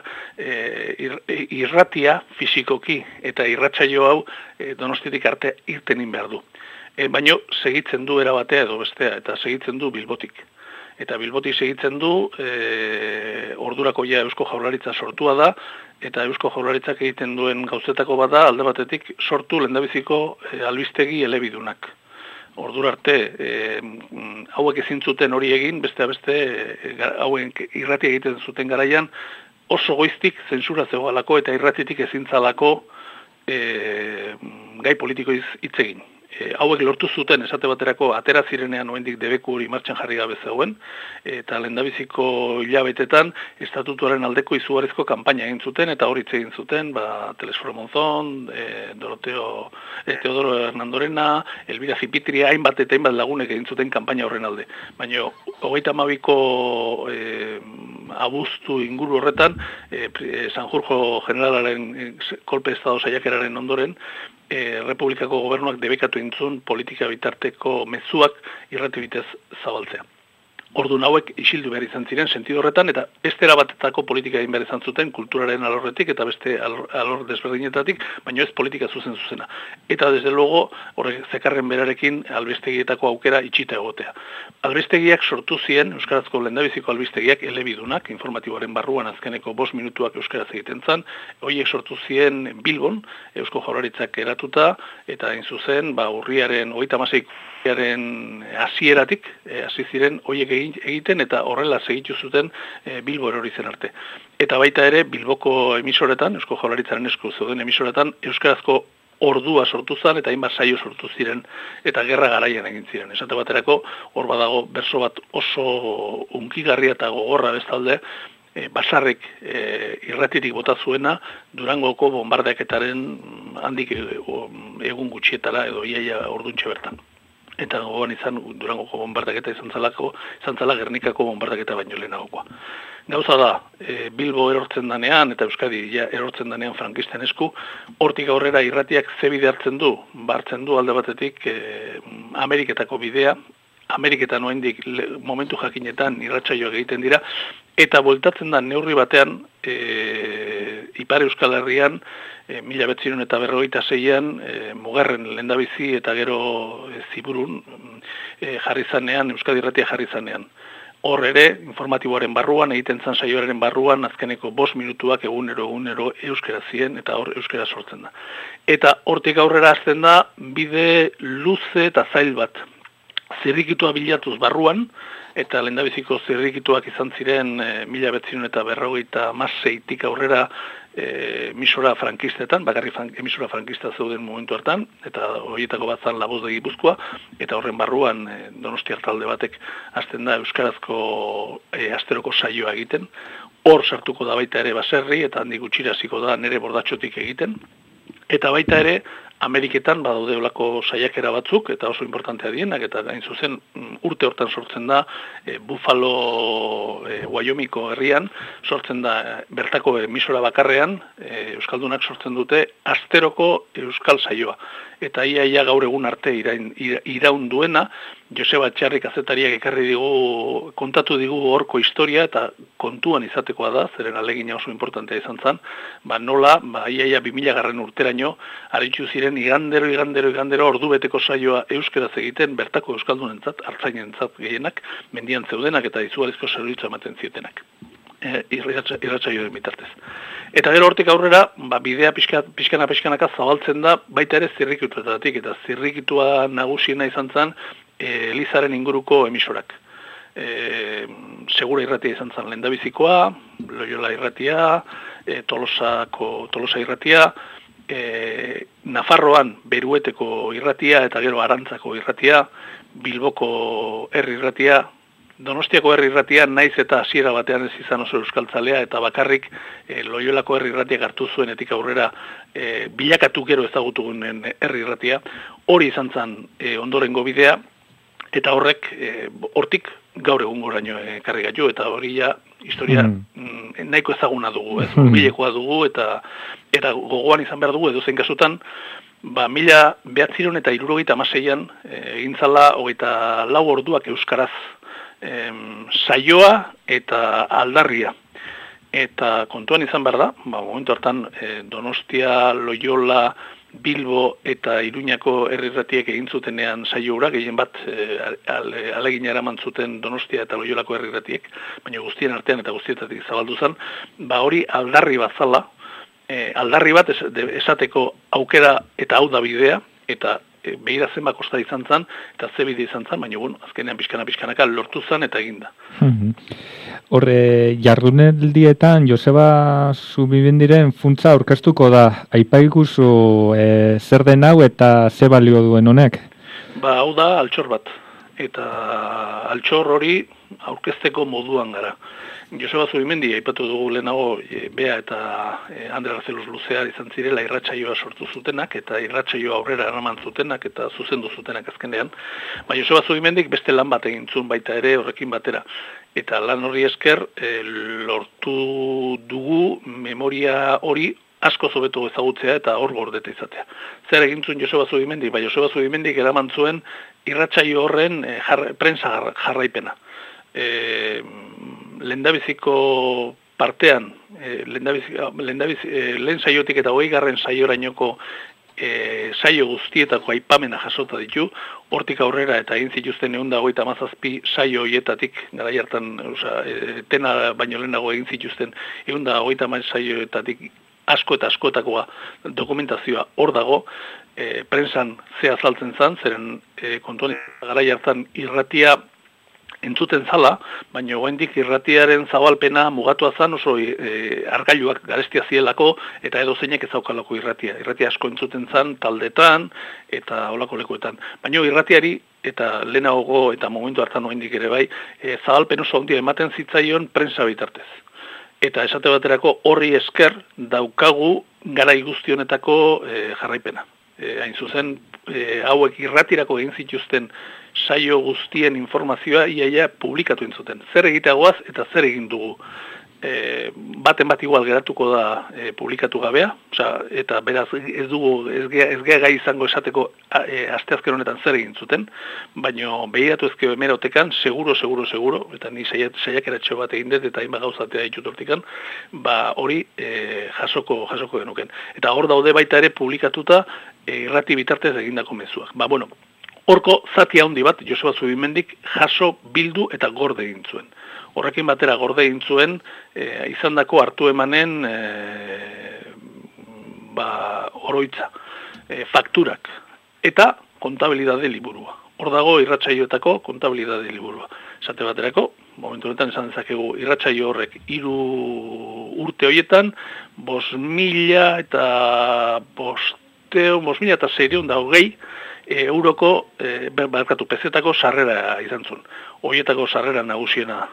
irratia fisikoki eta irratsaio hau Donostiatik arte irtenin behar du. Baina segitzen du erabatea edo bestea, eta segitzen du Bilbotik. Eta Bilbotik segitzen du, ordurako ja Eusko Jaurlaritza sortua da, eta Eusko Jaurlaritzak egiten duen gauzetako bada, alde batetik sortu lehendabiziko albistegi elebidunak. Ordura arte, hauek ezin zuten hori egin, beste hauek irratia egiten zuten garaian, oso goiztik zentsura zegoelako eta irratitik ezin zalako gai politikoiz hitz egin. Hauek lortu zuten esate baterako atera zirenean oraindik debeku hori martxan jarri gabe zegoen, eta lehendabiziko hilabetetan estatutuaren aldeko izugarrizko kanpaina egin zuten, eta hori hitz egin zuten, Telesforo Monzón, Teodoro Hernandorena, Elvira Zipitria, hainbat eta hainbat lagunek egin zuten kanpaina horren alde. Baina 32ko abuztu inguru horretan, Sanjurjo generalaren kolpe estado saiakeraren ondoren, Republikako gobernuak debekatu intzun politika bitarteko mezuak irrati bitez zabaltzea. Orduan hauek isildu behar izan ziren sentido horretan, eta beste erabatetako politika egin behar izan zuten kulturaren alorretik eta beste alor desberdinetatik, baina ez politika zuzena. Eta desde luego horrek zekarren berarekin albistegietako aukera itxita egotea. Albistegiak sortu ziren, euskarazko lehendabiziko albistegiak elebidunak, informatiboaren barruan azkeneko 5 minutuak euskaraz egiten zan, horiek sortu ziren Bilbon, Eusko Jaurlaritzak eratuta, eta hain zuzen, urriaren 36 hasieratik hasi ziren horiek egiten eta horrela segitu zuten Bilbo erori zen arte. Eta baita ere Bilboko emisoretan, Eusko Jaurlaritzaren esku zeuden emisoretan, euskarazko ordua sortu zen eta hainbat saio sortu ziren eta gerra garaian egin ziren. Esate baterako hor badago berso bat oso hunkigarria eta gogorra bestalde, Basarrek irratirik bota zuena Durangoko bombardaketaren handik egun gutxietara edo iaia orduntxe bertan. Eta gogoan izan Durangoko bombardaketa izan zala Gernikako bombardaketa baino lehenagokoa. Gauza da, Bilbo erortzen danean eta Euskadi erortzen danean frankisten esku, hortik aurrera irratiak ze bide hartzen du? Hartzen du alde batetik Ameriketako bidea, Ameriketan oraindik momentu jakinetan irratsaioak egiten dira, eta bueltatzen da neurri batean Ipar Euskal Herrian 1956an Mugarren lehendabizi eta gero Ziburun jarri zanean, Euskadi irratia jarri zanean. Hor ere, informatiboaren barruan, egiten zan saioaren barruan, azkeneko 5 minutuak egunero euskera ziren, eta hor euskera sortzen da. Eta hortik aurrera hasten da, bide luze eta zail bat. Zirrikitua bilatuz barruan, eta lehendabiziko zirrikituak izan ziren 1956tik aurrera emisora frankistetan, bakarrik emisora frankista zeuden momentu hartan, eta horietako bat zan La Voz de Gipuzkoa, eta horren barruan Donostiar talde batek hasten da euskarazko asteroko saioa egiten. Hor sartuko da baita ere baserri, eta handik gutxira hasiko da nere bordatxotik egiten. Eta baita ere, Ameriketan badaude olako saiakera batzuk, eta oso importantea dienak, eta gain zuzen urte hortan sortzen da Buffalo, Wyomingko herrian, sortzen da bertako emisora bakarrean, Euskaldunak sortzen dute asteroko Euskal saioa. Eta ia gaur egun arte iraun duena, Joseba Txarri kazetariak ekarri digu, kontatu digu horko historia, eta kontuan izatekoa da, zeren alegina oso importantea izan zen, nola, ia 2000 urteraino, aritzu ziren igandero ordubeteko saioa euskeraz egiten, bertako euskaldunentzat, artzainentzat gehienak, mendian zeudenak eta izugarrizko zerbitzu ematen zietenak. Irratsaioaren bitartez. Eta gero hortik aurrera, bidea pixkanaka zabaltzen da, baita ere zirrikituetatik, eta zirrikitua nagusiena izan zen Elizaren inguruko emisorak. Segura irratia izan zen lehendabizikoa, Loyola irratia, Tolosa irratia, Nafarroan Berueteko irratia eta gero Arantzako irratia, Bilboko herri irratia, Donostiako herri irratia naiz eta hasiera batean ez izan oso euskaltzalea eta bakarrik Loyolako herri irratiak hartu zuenetik aurrera bilakatu gero ezagutugunen herri irratia, hori izan zen ondorengo bidea, eta hortik gaur egungoraino ekarri gaitu, eta hori ja historia nahiko ezaguna dugu, bilekoa dugu, eta gogoan izan behar dugu edozein kasutan, 1976an egin zala 24 orduak euskaraz saioa eta aldarria. Eta kontuan izan behar da, momentu hartan Donostia, Loyola, Bilbo eta Iruñako herri irratiek egin zutenean saio hura, gehien bat alegina eraman zuten Donostia eta Loyolako herri irratiek, baina guztien artean eta guztietatik zabaldu zen, hori aldarri bat zala, aldarri bat esateko aukera eta hau da bidea, eta behira zenba kosta izan zen, eta ze bide izan zen, baina azkenean pixkanaka lortu zen eta eginda. Horre, jardunaldietan Joseba Zubimendiren funtsa aurkeztuko da. Aipaiguzu zer den hau eta ze balio duen honek? Hau da altxor bat. Eta altxor hori aurkezteko moduan gara. Joseba Zubimendi aipatu dugu lehenago Bea eta Andre Garzeluz Luzear izan zirela irratsaioa sortu zutenak eta irratsaioa aurrera eraman zutenak eta zuzendu zutenak azkenean. Joseba Zubimendik beste lan bat egin zuen baita ere horrekin batera. Eta lan hori esker lortu dugu memoria hori asko zobetu ezagutzea eta hor gordeta izatea. Zer egin zuen Joseba Zubimendik? Joseba Zubimendik eraman zuen irratsaio horren prensa jarraipena. Lehendabiziko partean, lehen saiotik eta 20. saiorainoko saio guztietako aipamena jasota ditu, hortik aurrera eta egin zituzten 157 saio hoietatik, garai hartan, tena baino lehenago egin zituzten 150 saioetatik asko eta askoetakoa dokumentazioa hor dago, prensan ze azaltzen zen, zeren kontuan garai hartan irratia entzuten zala, baina oraindik irratiaren zabalpena mugatua zan oso argailuak garestia zielako eta edozeinek ez daukalako irratia. Irratia asko entzuten zan taldetan eta holako lekuetan. Baina irratiari eta lehenago eta momentu hartan oraindik ere bai, zabalpen oso handia ematen zitzaion prensa bitartez. Eta esate baterako horri esker daukagu garai guzti honetako jarraipena. Hain zuzen, hauek irratirako egin zituzten saio guztien informazioa iaia publikatu entzuten. Zer egiteagoaz eta zer egin dugu. Baten bat igual geratuko da publikatu gabea, eta beraz ez gea gai izango esateko asteazken honetan zer egin zuten, baina behiratu ezkeo hemerotekan, seguro, eta ni saiakeratxo bat egin dut eta hainbat gauzatea ditut hortikan, hori jasoko genuken. Eta hor daude baita ere publikatuta irrati bitartez egindako mezuak. Horko zati handi bat Joseba Zubimendik jaso, bildu eta gorde egin zuen. Horrekin batera gorde egin zuen izandako hartu emanen oroitza, fakturak eta kontabilidade liburua. Hor dago irratsaioetako kontabilidade liburua. Esate baterako, momentu honetan esan dezakegu irratsaio horrek 3 urte horietan 5.000 eta €5.620 euroko, pezetako sarrera izan zuen. Hoietako sarrera nagusiena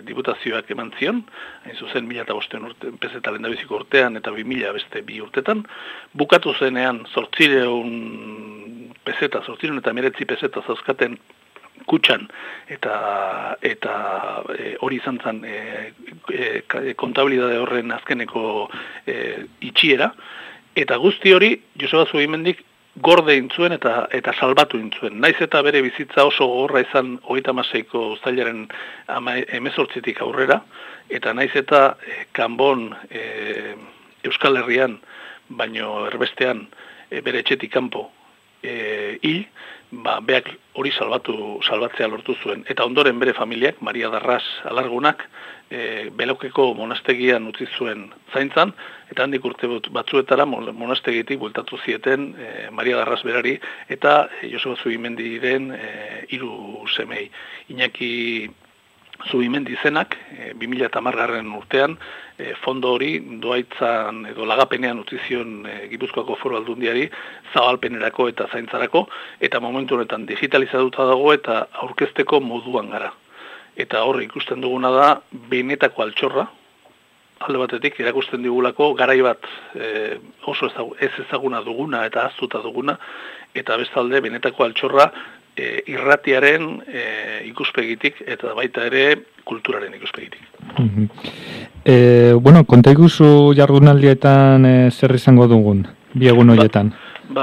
diputazioak eman zion, hain zuzen 2005 pezeta lehendabiziko urtean eta 2000 beste 2 urtetan. Bukatu zenean 800 pezeta, 819 pezeta zauzkaten kutxan eta hori izan zen kontabilidade horren azkeneko itxiera. Eta guzti hori Joseba Zubimendik gorde intzuen eta salbatu intzuen. Naiz eta bere bizitza oso gogorra izan 36ko uztailaren 18tik aurrera, eta naiz eta kanbon Euskal Herrian, baino erbestean bere etxetik kanpo hil, beak hori salbatzea lortu zuen. Eta ondoren bere familiak, Maria Darras Alargunak, Belokeko monastegian utzi zuen zaintzan, eta handik urte batzuetara monastegitik bueltatu zieten Maria Darras berari eta Joseba Zubimendiren 3 semei. Iñaki Zubimendi izenak 2010 urtean fondo hori doaitzan edo lagapenean utzi zion Gipuzkoako Foru Aldundiari zabalpenerako eta zaintzarako, eta momentu honetan digitalizatuta dago eta aurkezteko moduan gara. Eta horre ikusten duguna da benetako altxorra, alde batetik erakusten digulako garai bat oso ez ezaguna duguna eta ahaztuta duguna, eta bestalde benetako altxorra irratiaren ikuspegitik eta baita ere kulturaren ikuspegitik. Konta iguzu jardunaldietan zer izango dugun, bi egun horietan?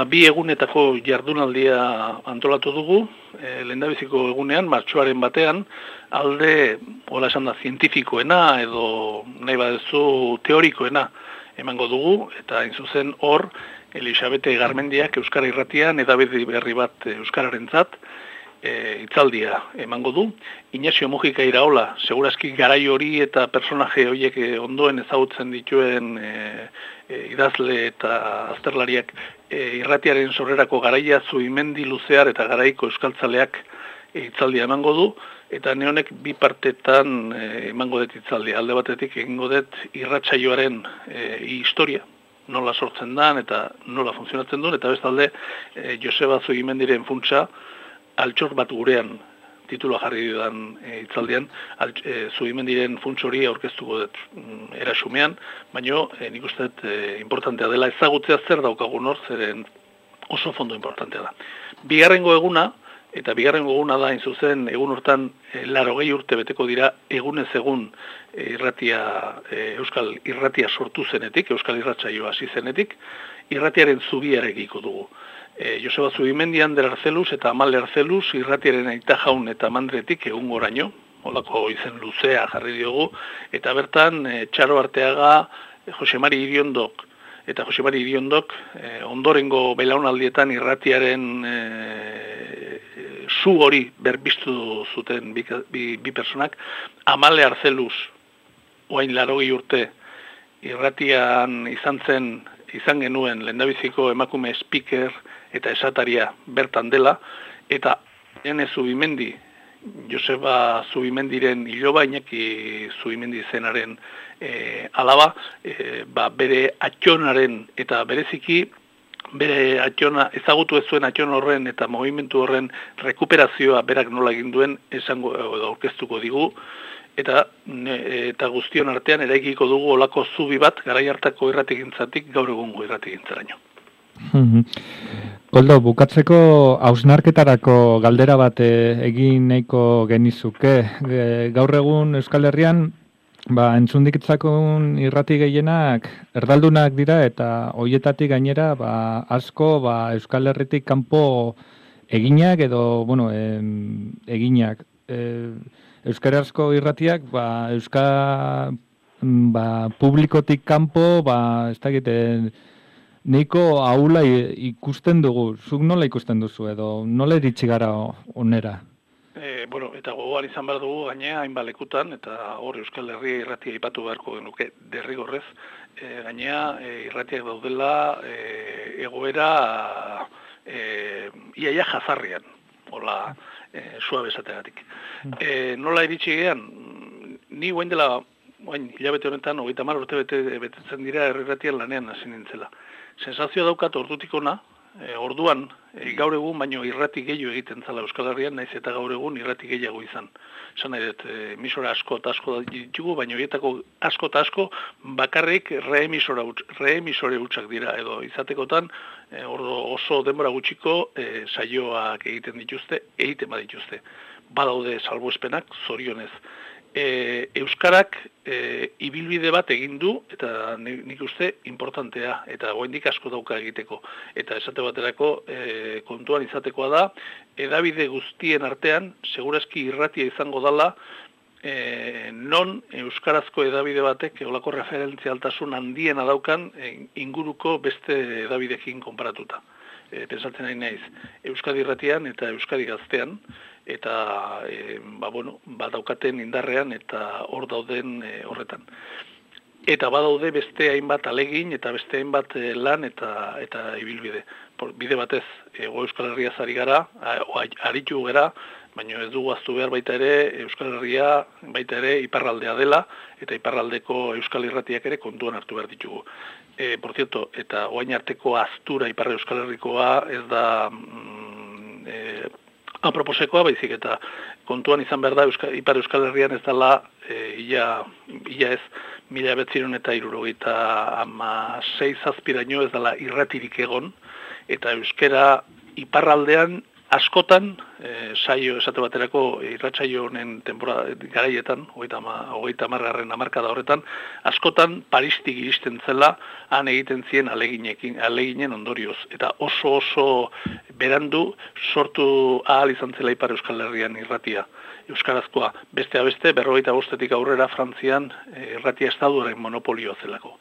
Bi egunetako jardunaldia antolatu dugu, lehendabiziko egunean, martxoaren batean, alde, hola esan da, zientifikoena edo nahi badezu teorikoena emango dugu, eta hain zuzen hor, Elisabete Garmendiak Euskara Irratian edabide berri bat euskararentzat hitzaldia emango du. Ignacio Mujika Iraola, segurazki garai hori eta personaje horiek ondoen ezagutzen dituen idazle eta azterlariak irratiaren sorrerako garaia Zubimendi luzear eta garaiko euskaltzaleak hitzaldia emango du, eta neonek bi partetan emango dut hitzaldia. Alde batetik egingo dut irratsaioaren historia, nola sortzen dan eta nola funtzionatzen duen, eta bestalde Joseba Zubimendiren funtsa altxor bat gurean titula jarri dudan hitzaldian, Zubimendiren funts hori aurkeztuko dut erasumean, baino nik uste dut importantea dela ezagutzea zer daukagun hor, zeren oso fondo importantea da. Bigarrengo eguna da hain zuzen egun hortan 80 urte beteko dira egunez egun Euskal Irratia sortu zenetik, Euskal Irratsaioa hasi zenetik, irratiaren zubiarekiko dugu. Joseba Zubimendi, Ander Arzeluz eta Amal Arzeluz irratiaren aita jaun eta mandretik egun goraino, holako izen luzea jarri diogu, eta bertan Txaro Arteaga, Josemari Iriondok, eta Josemari Iriondok ondorengo belaunaldietan irratiaren zu hori berbiztu zuten bi personak. Amale Arzeluz, oain 80 urte, irratian izan genuen lehendabiziko emakume speaker eta esataria bertan dela, eta Ene Zubimendi, Joseba Zubimendiren iloba, Iñaki Zubimendi zenaren alaba, bere atxonaren eta bereziki bere atxona, ezagutu ez zuen atxon horren eta movimentu horren rekuperazioa berak nola egin duen esango edo aurkeztuko digu, eta guztion artean eraikiko dugu olako zubi bat garai hartako irratigintzatik gaur egungo irratigintzaraino. Koldo, bukatzeko hausnarketarako galdera bat egin nahiko genizuke. Gaur egun Euskal Herrian entzundikitzakun irrati gehienak erdaldunak dira, eta hoietatik gainera asko Euskal Herritik kanpo eginak edo eginak. Euskarazko irratiak publikotik kanpo ez dakite neiko ahula ikusten dugu. Zuk nola ikusten duzu edo nola iritsi gara onera? Eta gogoan izan behar dugu gainea hainbat lekutan, eta hor Euskal Herria irratia aipatu beharko genuke derrigorrez, gainea irratiak daudela egoera iaia jazarrian, hola suabe esategatik. Nola iritsi gean, ni guen dela hilabete honetan, 30 urte betetzen dira irratian lanean hasi nintzela. Sensazioa daukat ordutik ona, orduan, gaur egun baino irrati gehiago egiten zala Euskal Herrian, naiz eta gaur egun irrati gehiago izan. Esan nahi dut, emisora asko eta asko ditugu, baina horietako asko eta asko bakarrik reemisore hutsak dira, edo izatekotan oso denbora gutxiko saioak egiten badituzte. Badaude salbuespenak, zorionez. Euskarak ibilbide bat egin du, eta nik uste importantea, eta oraindik asko dauka egiteko. Eta esate baterako kontuan izatekoa da, hedabide guztien artean, segurazki irratia izango dala, non euskarazko hedabide batek olako referentzialtasun handiena daukan inguruko beste hedabidekin konparatuta. Pensatzen nahi naiz, Euskadi irratian eta Euskadi gaztean, eta badaukaten indarrean eta hor dauden horretan. Eta badaude beste hainbat alegin eta beste hainbat lan eta ibilbide. Bide batez, Euskal Herria ari gara, aritu gara, baina ez dugu ahaztu behar baita ere Euskal Herria baita ere iparraldea dela, eta iparraldeko Euskal Irratiak ere kontuan hartu behar ditugu. Por cierto, eta oain arteko aztura Ipar Euskal Herrikoa ez da aproposekoa, baizik eta kontuan izan behar da Ipar Euskal Herrian ez dela ia ez 1976 ez dela irratirik egon, eta euskera iparraldean askotan, saio esate baterako irratsaio honen garaietan, 30. hamarkada horretan, askotan Paristik iristen zela, han egiten zien aleginen ondorioz. Eta oso berandu sortu ahal izan zela Ipar Euskal Herrian irratia. Euskarazkoa, beste 45 aurrera Frantzian irratia estaduaren monopolioa zelako.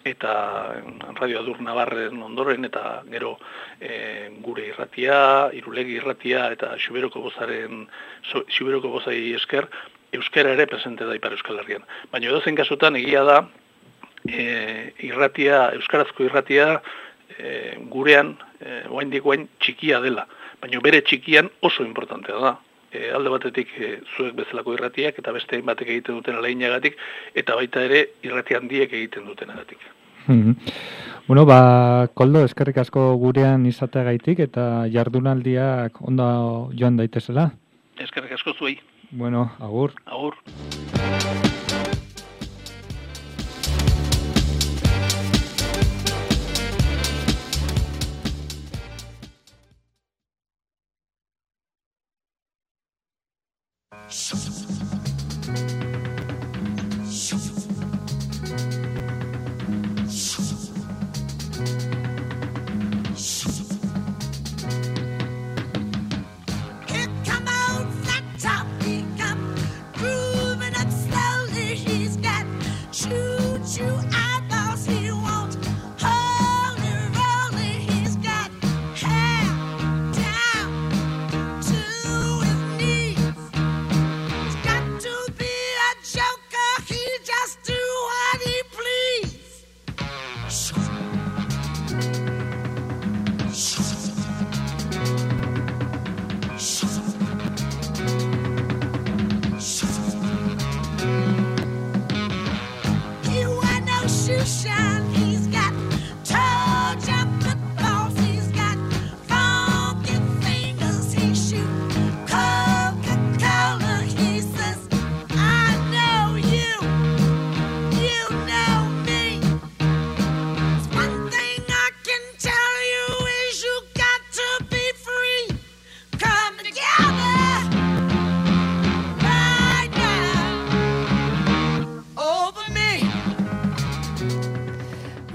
Eta Radio Adur Navarren ondoren, eta gero gure irratia, Irulegi irratia, eta Xuberoko bozai esker, euskara ere presente da Ipar Euskal Herrian. Baina edozein kasutan egia da, euskarazko irratia gurean, oraindik txikia dela, baina bere txikian oso importantea da. Alde batetik zuek bezalako irratiak eta beste hainbatek egiten duten aleginagatik, eta baita ere irrati handiek egiten dutenagatik. Bueno, Koldo, eskerrik asko gurean izateagaitik eta jardunaldiak ondo joan daitezela. Eskerrik asko zuei. Bueno, agur. Agur.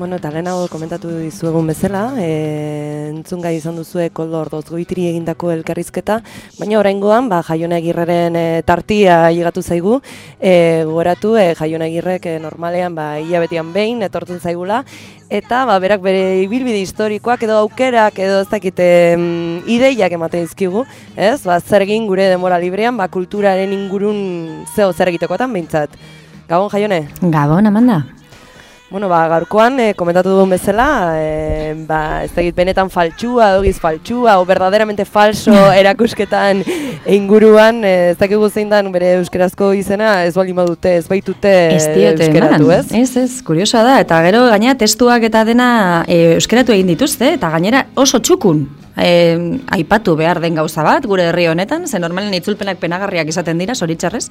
Bueno, eta lehenago komentatu dizuegun bezala, entzungai izan duzue Koldo Ordozgoitiri egindako elkarrizketa, baina oraingoan Jaione Agirreren tartia llegatu zaigu, gogoratu Jaione Agirrek normalean hilabetean behin etortzen zaigula, eta berak bere ibilbide historikoak edo aukerak edo ez dakite ideiak ematen dizkigu, ez? Zer egin gure denbora librean, kulturaren ingurun zer egitekotan behintzat. Gabon, Jaione? Gabon, Amanda. Bueno, gaurkoan komentatu dugun bezala, ez dakit benetan faltsua, dogiz faltsua, o verdaderamente falso erakusketan inguruan, ez dakigu zein dan bere euskerazko izena, ez baldin badute, ez baitute euskeratu, ez? Ez, kuriosoa da, eta gero gaina testuak eta dena euskeratu egin dituzte, eta gainera oso txukun. Aipatu behar den gauza bat, gure herri honetan, ze normalen itzulpenak penagarriak izaten dira, zoritxarrez,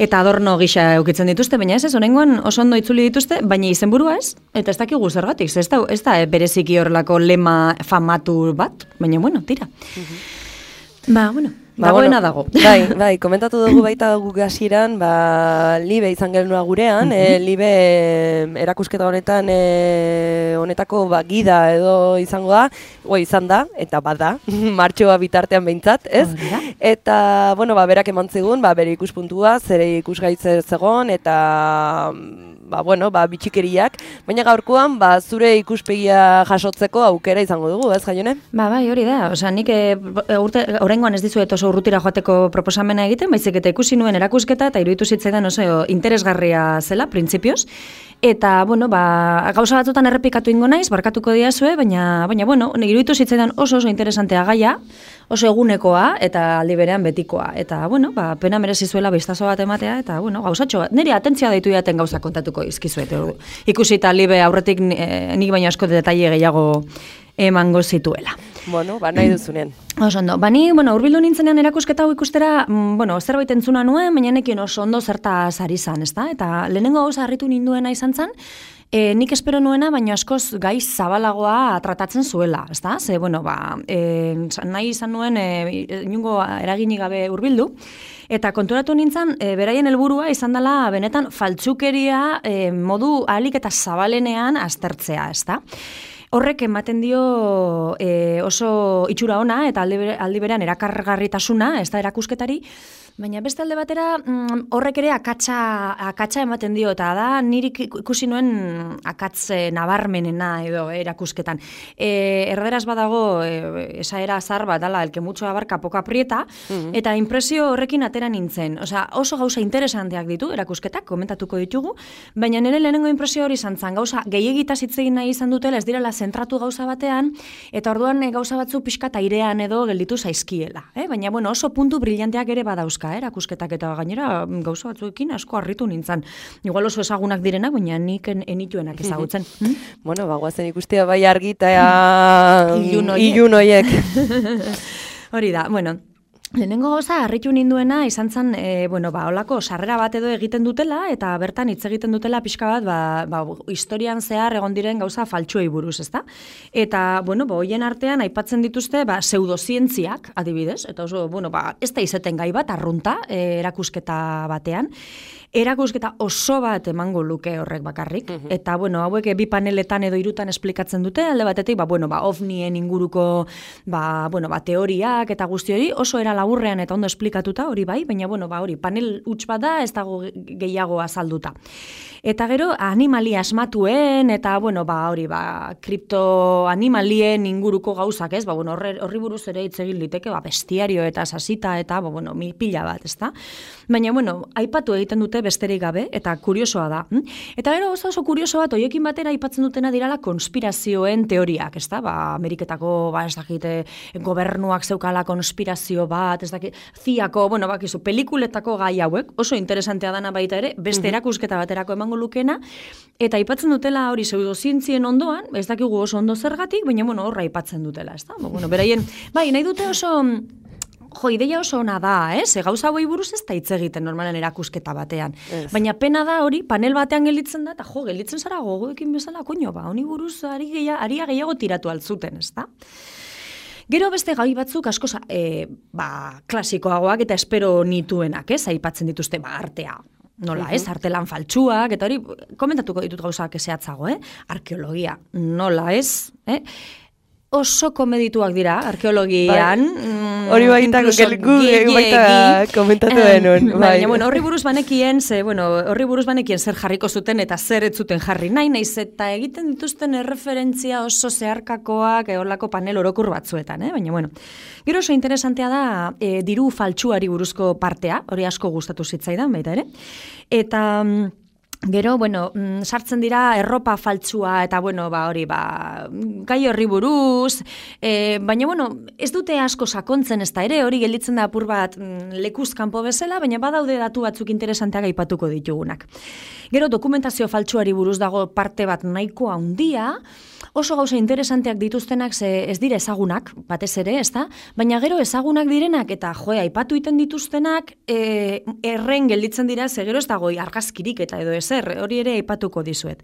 eta adorno gisa eukitzen dituzte, baina ez, honengoan oso ondo itzuli dituzte, baina izenburua ez, eta ez dakigu zergatik, ez da bereziki horrelako lema famatu bat, baina bueno, tira. Dagoena dago. Bai, komentatu dugu baita guk hasieran, Libe izan gelnua gurean, Libe erakusketa honetan honetako gida edo izango da, izan da, eta bada, martxoa bitartean behintzat, ez? Eta, berak eman zigun, bere ikuspuntua, zere ikusgaitze zegon, eta bitxikeriak, baina gaurkoan, zure ikuspegia jasotzeko aukera izango dugu, ez, Jaione? Bai, hori da, nik oraingoan ez dizuet oso urrutira joateko proposamena egiten, baizik eta ikusi nuen erakusketa, eta iruditu zitzaidan oso interesgarria zela, printzipioz, eta, gauza batzutan errepikatu ingo naiz, barkatuko diazue, baina iruditu zitzaidan oso interesantea gaia, oso egunekoa, eta aldi berean betikoa, eta, pena merezi zuela bistazo bat ematea, eta, gauzatxo bat, nire atentzia deitu jaten gauza kontatuko izkizuet, ikusi eta Libe aurretik nik baino asko detaile gehiago emango zituela. Nahi duzunean. Oso ondo. Ni, urbildu nintzenean erakusketa hau ikustera, zerbait entzuna nuen, baina nekien oso ondo zertaz ari zan, ezta? Eta lehenengo gauza harritu ninduena izan zan, nik espero nuena, baina askoz gaiz zabalagoa tratatzen zuela, ezta? Ze, nahi izan nuen inungo eraginik gabe urbildu, eta konturatu nintzen, beraien helburua izan dela benetan faltsukeria modu ahalik eta zabalenean aztertzea, ezta? Horrek ematen dio oso itxura ona eta aldi berean erakargarritasuna, ez da erakusketari, baina beste alde batera horrek ere akatsa ematen dio, eta da niri ikusi nuen akatz nabarmenena edo erakusketan. Erderaz badago esaera azar bat, dala, el que mucho abarca poco aprieta, eta impresio horrekin atera nintzen. Oso gauza interesanteak ditu erakusketak, komentatuko ditugu, baina nire lehenengo impresio hori izan zen, gauza gehiagitaz hitz egin nahi izan dutela, ez direla zentratu gauza batean, eta orduan gauza batzu pixka airean edo gelditu zaizkiela. Baina oso puntu brillanteak ere badauzka, erakusketak, eta gainera gauza batzuekin asko harritu nintzen. Igual oso ezagunak direnak, baina nik enituenak ezagutzen. Guazen ikustea bai argita ilun hoiek. Hori da, lehenengo gauza harritu ninduena izan zen, holako sarrera bat edo egiten dutela, eta bertan hitz egiten dutela pixka bat, historian zehar egon diren gauza faltsuei buruz, ezta? Eta, hoien artean aipatzen dituzte, pseudozientziak, adibidez, eta oso, ez da izeten gai bat, arrunta, erakusketa batean. Erakusketa oso bat emango luke horrek bakarrik, eta, hauek bi paneletan edo hirutan esplikatzen dute, alde batetik, ovnien inguruko, teoriak eta guzti hori, oso era laburrean eta ondo esplikatuta, hori bai, baina, hori, panel huts bat da, ez dago gehiago azalduta. Eta gero, animalia asmatuen, eta, hori, kriptoanimalien inguruko gauzak, ez? Horri buruz ere hitz egin liteke, bestiario eta sasita, eta, pila bat, ez da? Baina, aipatu egiten dute besterik gabe, eta kuriosoa da. Eta gero, oso kurioso bat, hoiekin batera aipatzen dutena dirala konspirazioen teoriak, ez da? Ameriketako, ez dakite, gobernuak zeukala konspirazio bat, ez dakit, ziako, pelikuletako gai hauek, oso interesantea dana baita ere, beste erakusketa baterako emango lukena, eta aipatzen dutela hori pseudozientzien ondoan, ez dakigu oso ondo zergatik, baina horra aipatzen dutela, ez da? Beraien, nahi dute oso, ideia oso ona da, gauza hauei buruz ez da hitz egiten normalen erakusketa batean. Baina pena da hori, panel batean gelditzen da, eta gelditzen zara gogoekin bezala, honi buruz aria gehiago tiratu altzuten, ez da? Gero beste gai batzuk asko klasikoagoak eta espero nituenak, aipatzen dituzte artea. Nola, artelan faltsuak, eta hori, komentatuko ditut gauzak ezeatzago, arkeologia, nola, oso komedituak dira, arkeologian. Hori baita komentatu denun. Baina, horri buruz banekien zer jarriko zuten eta zer ez zuten jarri naiz eta egiten dituzten erreferentzia oso zeharkakoak horlako panel orokur batzuetan, baina, gero oso interesantea da diru faltsuari buruzko partea, hori asko gustatu zitzaidan baita ere, eta Gero, bueno, sartzen dira erropa faltsua eta, bueno, hori, gai horri buruz, baina, bueno, ez dute asko sakontzen ez da ere, hori gelditzen da apur bat lekuz kanpo bezala, baina badaude datu batzuk interesanteak aipatuko ditugunak. Gero, dokumentazio faltsuari buruz dago parte bat nahiko handia, oso gauza interesanteak dituztenak ez dira ezagunak, batez ere, ez da? Baina gero ezagunak direnak eta aipatu iten dituztenak erren gelditzen dira, ze gero ez dago argazkirik eta edo ezer, hori ere aipatuko dizuet.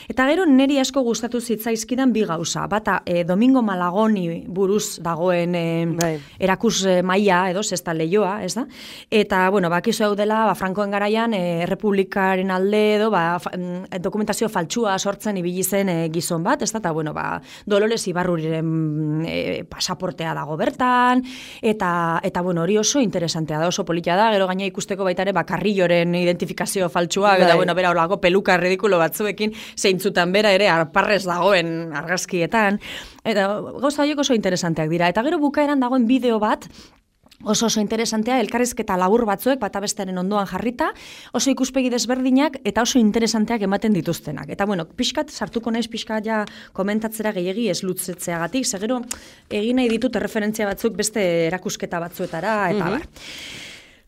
Eta gero niri asko gustatu zitzaizkidan bi gauza, bata Domingo Malagoni buruz dagoen erakus maila edo zesta leioa, ez da? Eta, bueno, bakizu hau dela, Frankoen garaian Errepublikaren alde edo dokumentazio faltsua sortzen ibili zen gizon bat, ez da? Eta, bueno, Dolores Ibarruriren pasaportea dago bertan, eta bueno, hori oso interesantea da, oso politia da, gero gaina ikusteko baita ere, Carrilloren identifikazio faltsua, eta, bueno, bera holako peluka ridikulo batzuekin, zeintzutan bera ere arparrez dagoen argazkietan, eta gauza horiek oso interesanteak dira, eta gero bukaeran dagoen bideo bat, oso interesantea, elkarrizketa labur batzuek, bata bestearen ondoan jarrita, oso ikuspegi desberdinak eta oso interesanteak ematen dituztenak. Eta, bueno, pixkat, sartuko naiz pixkat ja komentatzera gehiegi ez lutzetzeagatik, segero egin nahi ditut referentzia batzuk beste erakusketa batzuetara, eta bar.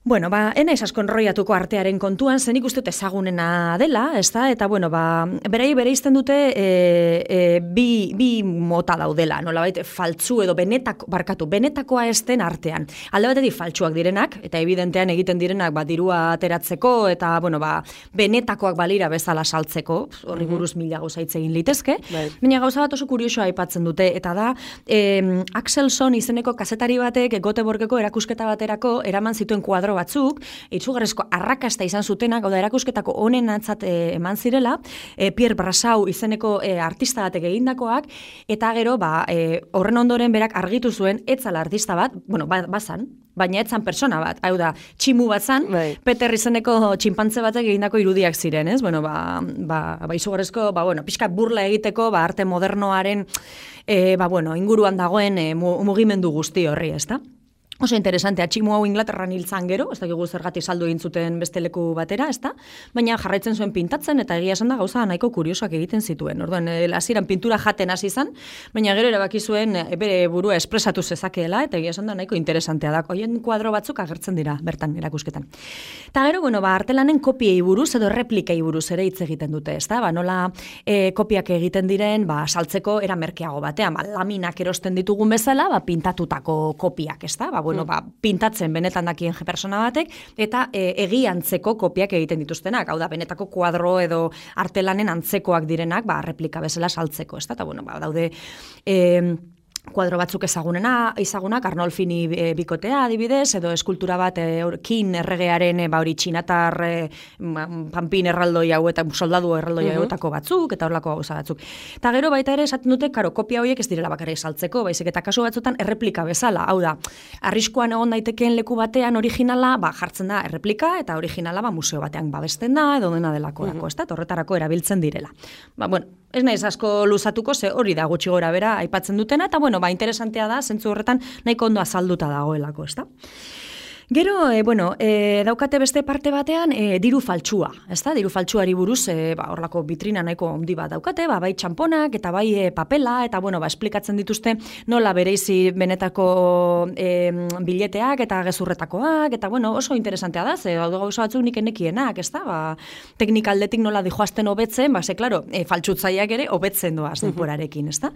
Bueno, enaiz asko enroiatuko artearen kontuan, zen ikuste ezagunena dela, ez da? Eta, bueno, berei bereizten dute bi mota daudela, nolabait faltzu edo benetakoa ez den artean. Alde batetik faltsuak direnak, eta evidentean egiten direnak dirua ateratzeko, eta, bueno, benetakoak balira bezala saltzeko, horri buruz mila gauza hitz egin litezke, baina gauza bat oso kuriosoa aipatzen dute, eta da, Axelson izeneko kazetari batek Göteborgeko erakusketa baterako eraman zituen kuadro batzuk, itzugarrezko arrakasta izan zutenak, hau da erakusketako honen atzat eman zirela, Pierre Brassau izeneko artista batek egindakoak, eta gero, horren ondoren berak argitu zuen, etzala artista bat, bueno, bazan, baina etzan persona bat, hau da, tximu bat zan, Peter izeneko txinpantze batek egindako irudiak ziren, ez? Bueno, izugarrezko, bueno, pixka burla egiteko, arte modernoaren, bueno, inguruan dagoen mugimendu guzti horri, ez da? Oso interesantea, tximu hau Inglaterran hiltzan gero, ez dakigu zergatik saldu egin zuten beste leku batera, ez da? Baina jarraitzen zuen pintatzen, eta egia esan da gauza nahiko kuriosoak egiten zituen. Orduan, hasieran pintura jaten hasi izan, baina gero erabaki zuen bere burua espresatu zezakeela, eta egia esan da nahiko interesantea da. Hoien kuadro batzuk agertzen dira bertan erakusketan. Eta gero, bueno, artelanen kopiei buruz edo replikei buruz ere hitz egiten dute, ez da? Nola kopiak egiten diren, saltzeko era merkeago batean, laminak erosten ditugun bezala, pintatutako kopiak, ez da? Bueno, pintatzen benetan dakien persona batek, eta egiantzeko kopiak egiten dituztenak, hau da, benetako kuadro edo artelanen antzekoak direnak, replika bezala saltzeko, ez da, eta, bueno, daude kuadro batzuk ezagunak, Arnolfini bikotea adibidez, edo eskultura bat kin erregearen hori txinatar panpin erraldoi hau eta soldadu erraldoi hauetako batzuk, eta horlako gauza batzuk. Eta gero baita ere esaten dute, kopia horiek ez direla bakarrik saltzeko, baizik eta kasu batzutan erreplika bezala, hau da, arriskuan egon daitekeen leku batean originala, jartzen da erreplika, eta originala museo batean babesten da, edo dena delakorako, ez da, horretarako erabiltzen direla. Bueno, ez naiz asko luzatuko, ze hori da gutxi gora bera aipatzen dutena, eta bueno, interesantea da, zentzu horretan nahiko ondo azalduta dagoelako, ez da? Gero, daukate beste parte batean diru faltsua, ez da? Diru faltsuari buruz, horlako vitrina nahiko handi bat daukate, bai txamponak eta bai papela, eta esplikatzen dituzte nola bereizi benetako bileteak eta gezurretakoak, eta oso interesantea da, ze gauza batzuk nik enekienak, ez da? Teknika aldetik nola dijoazten hobetzen, klaro, faltsutzaileak ere hobetzen doaz denporarekin, ez da?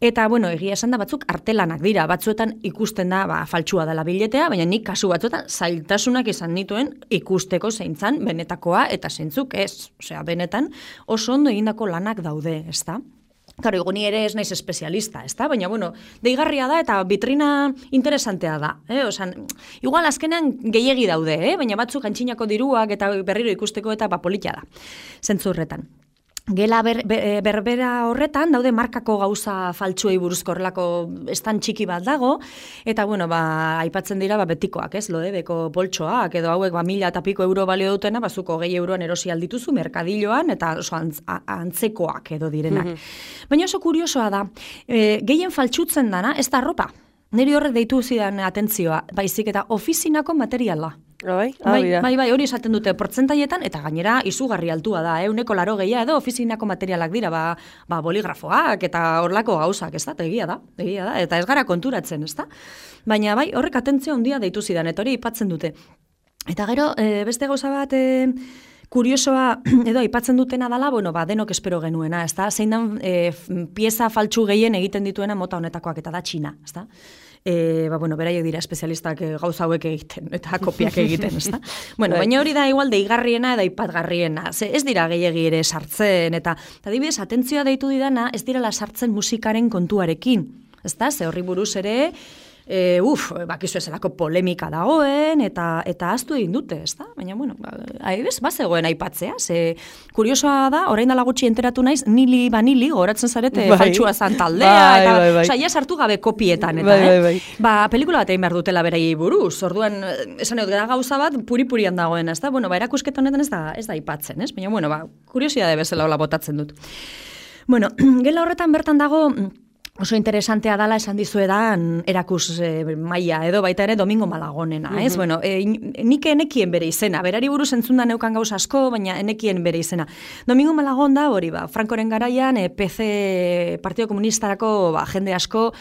Eta, egia esan da batzuk artelanak dira, batzuetan ikusten da faltsua dela biletea, baina nik kasu batzuetan zailtasunak izan nituen ikusteko zeintzan benetakoa eta zeintzuk ez. Osea, benetan oso ondo egindako lanak daude, ez da? Karo, ni ere ez naiz espezialista, ez da? Baina, deigarria da eta vitrina interesantea da. Osan, igual azkenean gehiegi daude, baina batzuk antxinako diruak eta berriro ikusteko eta politia da, zentzurretan. Gela berbera horretan, daude markako gauza faltsuei buruzko horrelako estan txiki bat dago, eta, aipatzen dira betikoak, ez, Lodebeko poltsoak, edo hauek 1000 eta piko euro balio dutena, bazuko 2 euroan erosi aldituzu merkadilloan, eta oso antzekoak edo direnak. Baina oso kuriosoa da, gehien faltsutzen dana, ez da arropa. Niri horrek deitu zidan atentzioa, baizik eta ofizinako materiala. Bai, hori esaten dute portzentaietan, eta gainera izugarri altua da, 180 edo ofizinako materialak dira, boligrafoak eta horlako gauzak, ez da, egia da, eta ez gara konturatzen, ez da? Baina bai, horrek atentzio handia deitu zidan, eta hori aipatzen dute. Eta gero, beste gauza bat kuriosoa edo aipatzen dutena dela, denok espero genuena, ez da? Zein dan pieza faltsu gehien egiten dituena mota honetakoak, eta da Txina, ez da? Beraiek dira espezialistak gauza hauek egiten, eta kopiak egiten, ez da? Baina hori da igual deigarriena eta aipatgarriena, ez dira gehiegi ere sartzen, eta adibidez, atentzioa deitu didana, ez direla sartzen musikaren kontuarekin, ez da? Ze horri buruz ere, bakizu ezelako polemika dagoen, eta ahaztu egin dute, ez da? Baina, bazegoen aipatzea, ze kuriosoa da, orain dela gutxi enteratu naiz, Nili Vanili, goratzen zarete, faltsua zan taldea, eta ja sartu gabe kopietan, eta, pelikula bat egin behar dutela beraiei buruz, orduan, esan egot gara gauza bat, puri-purian dagoen, ez da? Erakusketa honetan ez da aipatzen, ez? Baina, kuriosidade bezala hola botatzen dut. Gela horretan bertan dago, oso interesantea dala esan dizuedan erakus maila, edo baita ere Domingo Malagonena, ez? Nik enekien bere izena, berari buruz entzunda neukan gauza asko, baina enekien bere izena. Domingo Malagon da, hori Frankoren garaian, PC Partido Komunistarako jende asko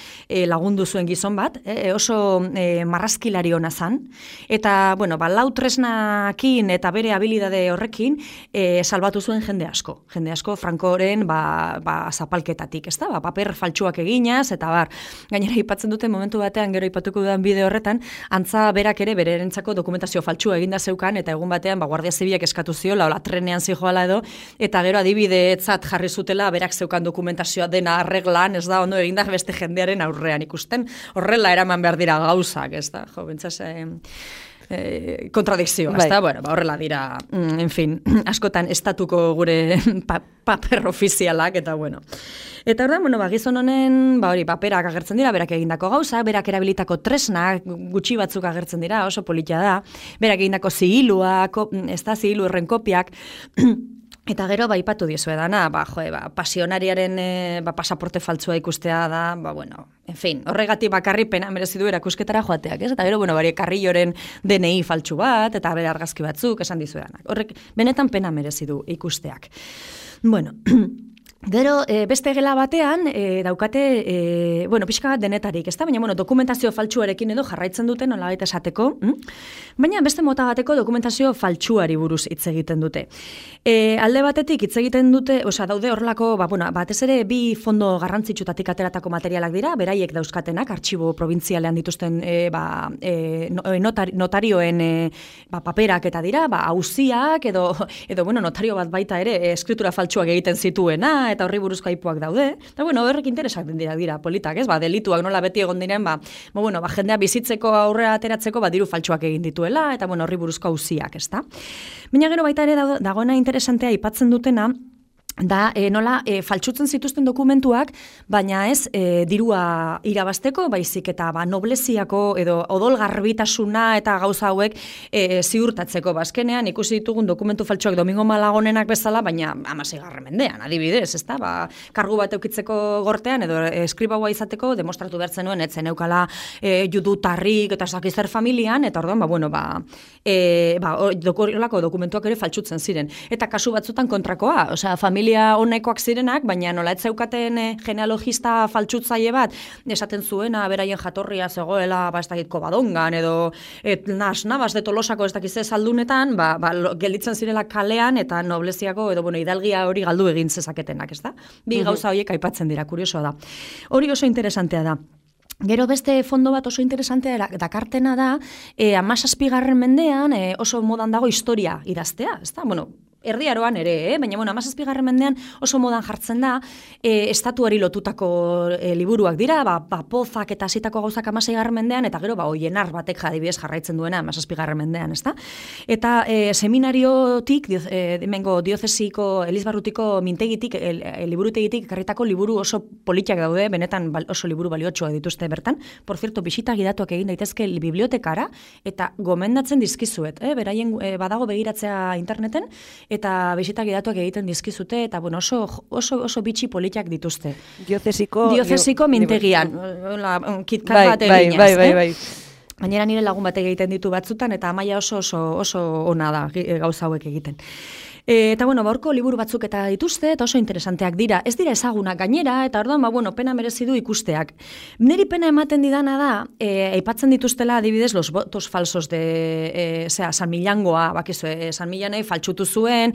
lagundu zuen gizon bat, oso marrazkilari hona zan, eta, lau tresnakin eta bere habilidade horrekin salbatu zuen jende asko Frankoren zapalketatik, ez da? Paper faltsuak eginaz, eta gainera aipatzen dute momentu batean, gero aipatuko dudan bideo horretan, antza berak ere berentzako dokumentazio faltsua eginda zeukan, eta egun batean, Guardia Zibilak eskatu ziola, trenean zijoala edo, eta gero adibideetzat jarri zutela, berak zeukan dokumentazioa dena arreglan, ez da, ondo eginda beste jendearen aurrean ikusten, horrela eraman behar dira gauzak, ez da, bentsaz, kontradikzioa, ez da, horrela dira, en fin, askotan estatuko gure paper ofizialak, eta Eta ordan, gizon honen, paperak agertzen dira, berak egindako gauza, berak erabilitako tresnak, gutxi batzuk agertzen dira, oso politia da, berak egindako zigiluak, ez da, zigilu erren kopiak, eta gero, ipatu diezue dana, pasionariaren pasaporte faltzua ikustea da, en fin, horregatik bakarri pena merezi du erakusketara joateak, ez? Eta gero, Carrilloren DNI faltsu bat, eta bere argazki batzuk, esan diezue danak. Horrek, benetan pena merezi du ikusteak. Gero, beste gela batean, daukate, pixka bat denetarik, ez da? Baina, dokumentazio faltsuarekin edo jarraitzen duten, nola baita esateko, baina beste mota bateko dokumentazio faltsuari buruz hitz egiten dute. Alde batetik hitz egiten dute, daude horrelako, batez ere, bi fondo garrantzitsutatik ateratako materialak dira, beraiek dauzkatenak, artxibo probintzialean dituzten notarioen paperak eta dira, auziak, edo notario bat baita ere, eskritura faltsuak egiten zituena, eta horri buruzko aipuak daude. Eta horrek interesak dira politak, ez? Delituak nola beti egon diren, jendea bizitzeko aurrera ateratzeko, diru faltsuak egin dituela, eta horri buruzko auziak, ez da? Baina gero baita ere dagoena interesantea aipatzen dutena, da nola faltsutzen zituzten dokumentuak, baina ez dirua irabasteko, baizik eta nobleziako edo odolgarbitasuna eta gauza hauek ziurtatzeko. Azkenean ikusi ditugun dokumentu faltsuak Domingo Malagonenak bezala, baina 16. mendean, adibidez, ezta? Kargu bat eukitzeko gortean edo eskribaua izateko demostratu behartzen nuen, etzen eukala judutarrik eta zakizer familian, eta orduan, horrelako dokumentuak ere faltsutzen ziren. Eta kasu batzutan kontrakoa, familia honekoak zirenak, baina nola ez zeukaten genealogista faltsutzaile bat, esaten zuena, beraien jatorria zegoela, ez dakit Kobadongan, edo Navas de Tolosako ez dakize saldunetan, gelditzen zirela kalean, eta nobleziako, edo hidalgia hori galdu egin zezaketenak, ez da? Bi gauza horiek aipatzen dira, kuriosoa da. Hori oso interesantea da. Gero beste fondo bat oso interesantea dakartena da, 17. mendean oso modan dago historia idaztea, ez da? Erdiaroan ere, baina 17. mendean oso modan jartzen da, estatuari lotutako liburuak dira, pozak eta hasitako gauzak 16. mendean, eta gero Oienar batek adibidez jarraitzen duena 17. mendean, ezta? Eta seminariotik, hemengo diozesiko, Elizbarrutiko mintegitik, liburutegitik karritako liburu oso politiak daude, benetan oso liburu baliotsua dituzte bertan. Por cierto, bisita gidatuak egin daitezke bibliotekara, eta gomendatzen dizkizuet, beraien badago begiratzea interneten, eta bisita gidatuak egiten dizkizute, eta oso bitxi politiak dituzte. Diozesiko mintegian, kitkat bat eginaz. Bai. Gainera nire lagun batek egiten ditu batzutan, eta Amaia oso ona da gauza hauek egiten. Eta bueno, baurko liburu batzuk eta dituzte, eta oso interesanteak dira. Ez dira ezagunak gainera, eta orduan, pena merezi du ikusteak. Neri pena ematen didana da, aipatzen dituztela adibidez los votos falsos de San Millangoa, bakizu, San Millanei faltsutu zuen,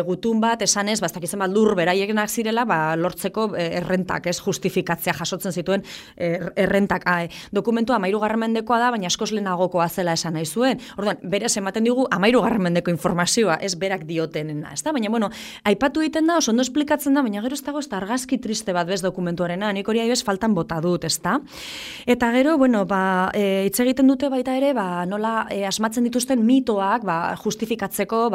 gutun bat, esanez, bastakizen bat lur beraienak zirela, lortzeko errentak, ez justifikatzea jasotzen zituen errentak. Dokumentua 13. mendekoa da, baina askoz lehenagokoa zela esan nahi zuen. Orduan, berez ematen digu 13. mendeko informazioa, ez berak diote. Baina, aipatu egiten da, oso ondo esplikatzen da, baina gero ez dago ez da argazki triste bat bez dokumentuarena, nik hori aibez faltan bota dut, ez da? Eta gero, hitz egiten dute baita ere, nola asmatzen dituzten mitoak, justifikatzeko,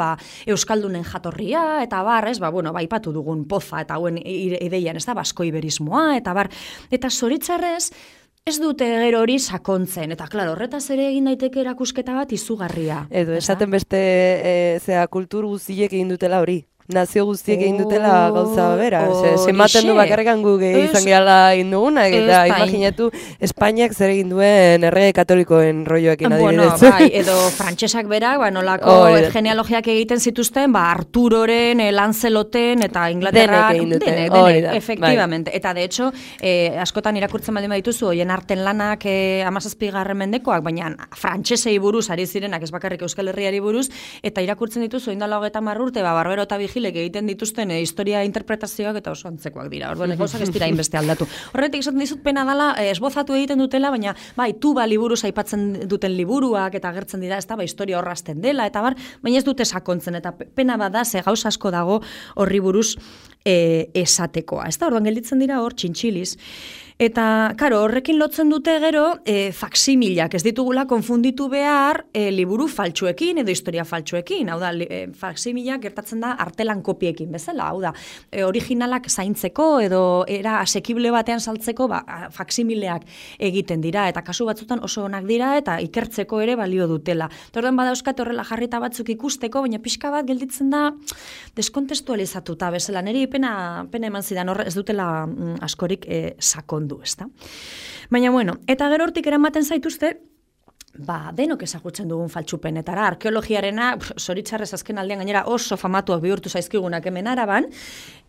euskaldunen jatorria, eta ez, aipatu dugun poza, eta hauen ideian, ez da, basko-iberismoa, eta zoritzarrez, ez dute gero hori sakontzen, eta klaro, horretaz ere egin daiteke erakusketa bat izugarria. Edo, esaten beste kultur guztiek egin dutela hori. Nazio guztiek egin dutela gauza bera. Zenbaten du bakarrekan gu izan gehala egin dugunak, eta imaginatu Espainiak zer egin duen errege katolikoen rolloekin adibidez. Edo frantsesak berak, nolako genealogiak egiten zituzten, Arturoren, Lanceloten, eta Inglaterran, denek, efectivamente. Eta de hecho, askotan irakurtzen baldin badituzu, hoien arten lanak 17. mendekoak, baina frantsesei buruz ari zirenak, ez bakarrik Euskal Herriari buruz, eta irakurtzen dituzu, indala 30 urte, Barbero eta Vigilek egiten dituzten historia interpretazioak eta oso antzekoak dira. Orduan, gauzak ez dira inbeste aldatu. Horretik esaten dizut pena dela, esbozatu egiten dutela, baina tuba liburuz aipatzen duten liburuak eta agertzen dira, ez da, historia horrazten dela, eta baina ez dute sakontzen, eta pena bada, ze gauza asko dago horri buruz esatekoa. Ez da, orduan gelditzen dira hor txintxiliz. Eta, karo, horrekin lotzen dute gero faksimilak, ez ditugula konfunditu behar liburu faltsuekin edo historia faltsuekin. Hau da, faksimilak gertatzen da artelan kopiekin bezala. Hau da, originalak zaintzeko edo era asekible batean saltzeko faksimileak egiten dira. Eta kasu batzutan oso onak dira eta ikertzeko ere balio dutela. Orduan badauzkat horrela jarrita batzuk ikusteko, baina pixka bat gelditzen da deskontestualizatuta bezala. Neri pena eman zidan ez dutela askorik sakon. Ezta? Baina, eta gero hortik eramaten zaituzte, denok ezagutzen dugun faltsupenetara, arkeologiarena, zoritzarrez azken aldean gainera oso famatuak bihurtu zaizkigunak hemen Araban,